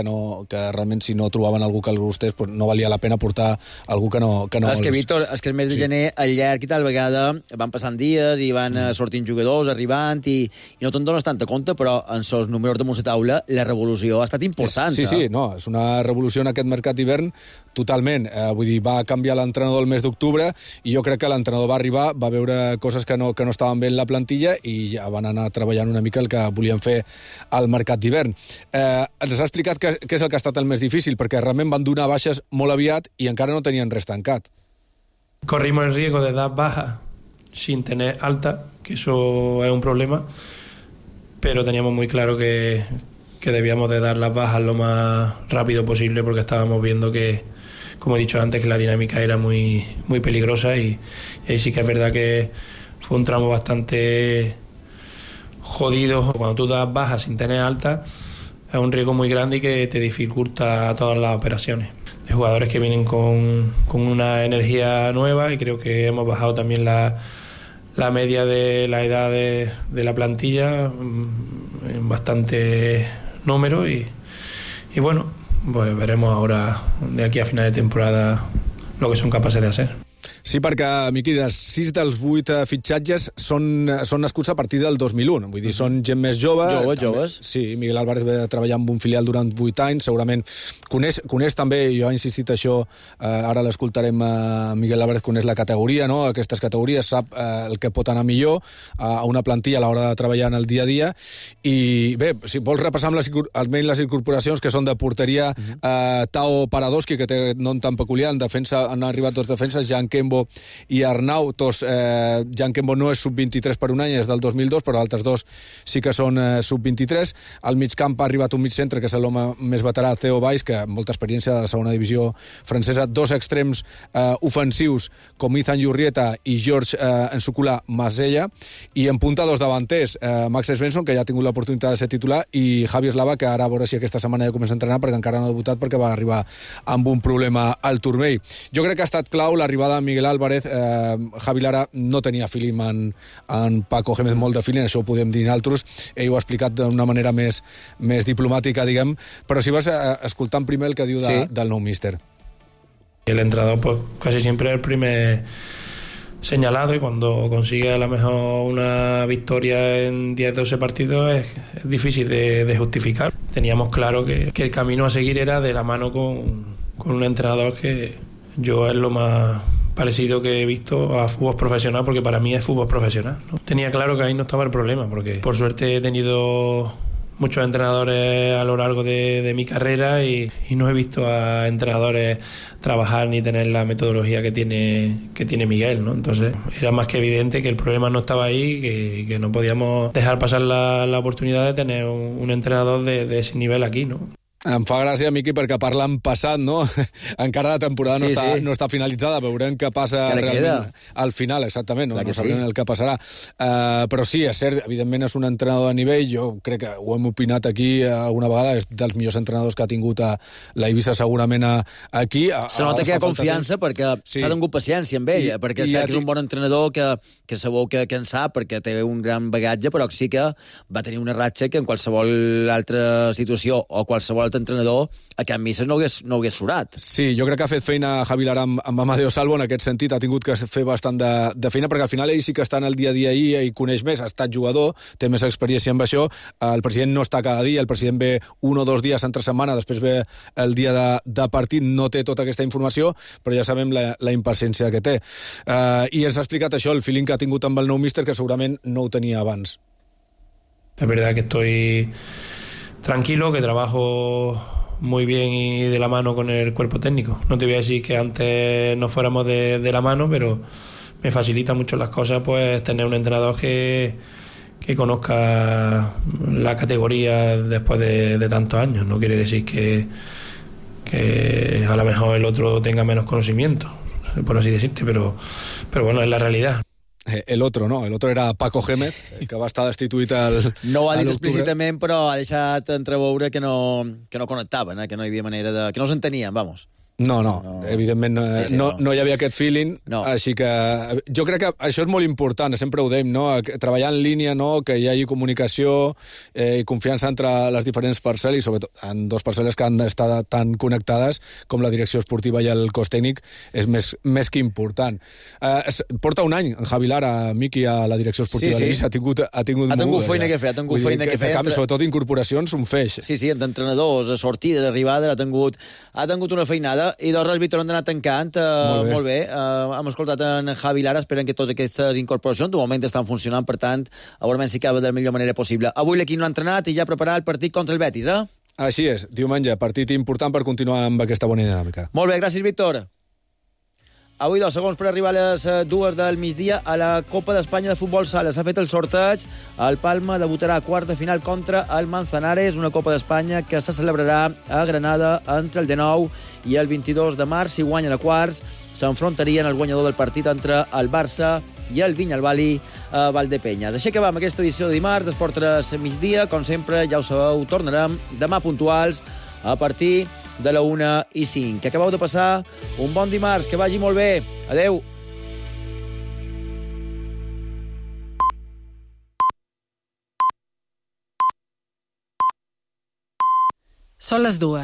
realment si no trobaven algú que els gustés, no valia la pena portar algú que no és que, Víctor, és que el mes de gener, al llarg i tal vegada, van passant dies i van sortint jugadors, arribant, i no te'n dones tanta compte, però en els números de la taula la revolució ha estat important. Sí, no, és una revolució en aquest mercat d'hivern totalment. Vull dir, va canviar l'entrenador el mes d'octubre i jo crec que l'entrenador va arribar, va veure coses que no estaven bé en la plantilla i ja van anar treballant una mica el que volien fer al mercat d'hivern. Ens ha explicat què és el que ha estat el més difícil, perquè realment van donar baixes molt aviat i encara no tenien res tancat. Corrimos el riesgo de dar bajas sin tener alta, que eso es un problema, pero teníamos muy claro que debíamos de dar las bajas lo más rápido posible porque estábamos viendo que, como he dicho antes, que la dinámica era muy, muy peligrosa y ahí sí que es verdad que fue un tramo bastante jodido. Cuando tú das bajas sin tener alta es un riesgo muy grande y que te dificulta todas las operaciones. Hay jugadores que vienen con una energía nueva y creo que hemos bajado también la media de la edad de la plantilla en bastante número y bueno, pues veremos ahora de aquí a final de temporada lo que son capaces de hacer. Sí, perquè, Miqui, 6 dels 8 fitxatges són nascuts a partir del 2001. Vull dir, són gent més jove. Joves. Sí, Miguel Álvarez va treballar amb un filial durant 8 anys, segurament coneix també, jo he insistit això, ara l'escoltarem, Miguel Álvarez coneix la categoria, no?, aquestes categories, sap el que pot anar millor a una plantilla a l'hora de treballar en el dia a dia. I bé, si vols repassar almenys les incorporacions, que són de porteria, Tao Paradoski, que té nom tan peculiar, en defensa han arribat 2 defenses, Jan Kembo i Arnau. Jan Kembo no és sub-23 per un any, és del 2002, però altres 2 sí que són sub-23. Al mig camp ha arribat un mig centre, que és l'home més veterà, Theo Valls, que amb molta experiència de la segona divisió francesa. 2 extrems ofensius, com Ethan Jurrieta i George Nsukula Masella. I en punta 2 davanters, Max Svensson, que ja ha tingut l'oportunitat de ser titular, i Javi Eslava, que ara a veure si aquesta setmana ja comença a entrenar, perquè encara no ha debutat perquè va arribar amb un problema al turmell. Jo crec que ha estat clau l'arribada de Miguel Álvarez. Javi Lara no tenia feeling en Paco Gémez, molt de feeling, això ho podem dir nosaltres. Ell ho ha explicat d'una manera més diplomàtica, diguem, però si vas escoltant primer el que diu del nou míster. El entrenador pues casi siempre es el primer señalado y cuando consigue a lo mejor una victoria en 10-12 partidos es difícil de justificar. Teníamos claro que el camino a seguir era de la mano con un entrenador que yo es lo más parecido que he visto a fútbol profesional, porque para mí es fútbol profesional, ¿no? Tenía claro que ahí no estaba el problema, porque por suerte he tenido muchos entrenadores a lo largo de mi carrera y no he visto a entrenadores trabajar ni tener la metodología que tiene Miguel, ¿no? Entonces era más que evidente que el problema no estaba ahí, que no podíamos dejar pasar la oportunidad de tener un entrenador de ese nivel aquí, ¿no? Em fa gràcia, Miqui, perquè parlant passat, no? Encara la temporada no està finalitzada, veurem què passa realment al final, exactament, no sabrem el que passarà. Però sí, és cert, evidentment és un entrenador de nivell, jo crec que ho hem opinat aquí alguna vegada, és dels millors entrenadors que ha tingut la Eivissa segurament aquí. Se nota que hi ha confiança perquè s'ha tingut paciència amb ell, perquè sap que és un bon entrenador que segur que en sap, perquè té un gran bagatge, però sí que va tenir una ratxa que en qualsevol altra situació o qualsevol l'altre entrenador, a Can Misses no hagués surat. Sí, jo crec que ha fet feina Javi Lara amb Amadeo Salvo en aquest sentit, ha tingut que fer bastant de feina, perquè al final ell sí que està en el dia a dia i coneix més, ha estat jugador, té més experiència amb això, el president no està cada dia, el president ve 1 o 2 dies entre setmana, després ve el dia de partit, no té tota aquesta informació, però ja sabem la impaciència que té. I ens ha explicat això, el feeling que ha tingut amb el nou míster, que segurament no ho tenia abans. Es verdad que estoy tranquilo, que trabajo muy bien y de la mano con el cuerpo técnico. No te voy a decir que antes no fuéramos de la mano, pero me facilita mucho las cosas pues tener un entrenador que conozca la categoría después de tantos años. No quiere decir que a lo mejor el otro tenga menos conocimiento, por así decirte, pero bueno, es la realidad. El otro, no? El otro era Paco Gémez, que va estar destituït no ho ha dit explícitament, però ha deixat entreveure que no connectaven, que no hi havia manera de... que no s'entenien, vamos. No, evidentment no hi havia aquest feeling, així que jo crec que això és molt important, sempre ho dèiem, no? Treballar en línia, no? Que hi hagi comunicació i confiança entre les diferents parcel·les, i sobretot en 2 parcel·les que han d'estar tan connectades com la direcció esportiva i el cos tècnic és més que important. Porta un any en Javi Lara, Miqui, a la direcció esportiva de l'Eivissa, ha tingut feina que fer, sobretot incorporacions, un feix. Sí, d'entrenadors, sortides, arribades, ha tingut una feinada. I doncs res, Víctor, hem d'anar tancant. Molt bé. Hem escoltat en Javi Lara, esperen que totes aquestes incorporacions de moment estan funcionant, per tant, veurem si acaba de la millor manera possible. Avui l'equip no ha entrenat i ja ha preparat el partit contra el Betis, eh? Així és, diumenge, partit important per continuar amb aquesta bona dinàmica. Molt bé, gràcies, Víctor. Avui 2 segons per arribar a les 2 del migdia a la Copa d'Espanya de Futbol Sala. S'ha fet el sorteig. El Palma debutarà a quarts de final contra el Manzanares, una Copa d'Espanya que se celebrarà a Granada entre el 19 i el 22 de març. Si guanyen a quarts, s'enfrontarien el guanyador del partit entre el Barça i el Vinyalbali a Valdepenyes. Així que va amb aquesta edició de dimarts d'Esport 3 migdia. Com sempre, ja ho sabeu, tornarem demà puntuals a partir de la 1:05. Que acabeu de passar un bon dimarts, que vagi molt bé. Adeu. Són les 2.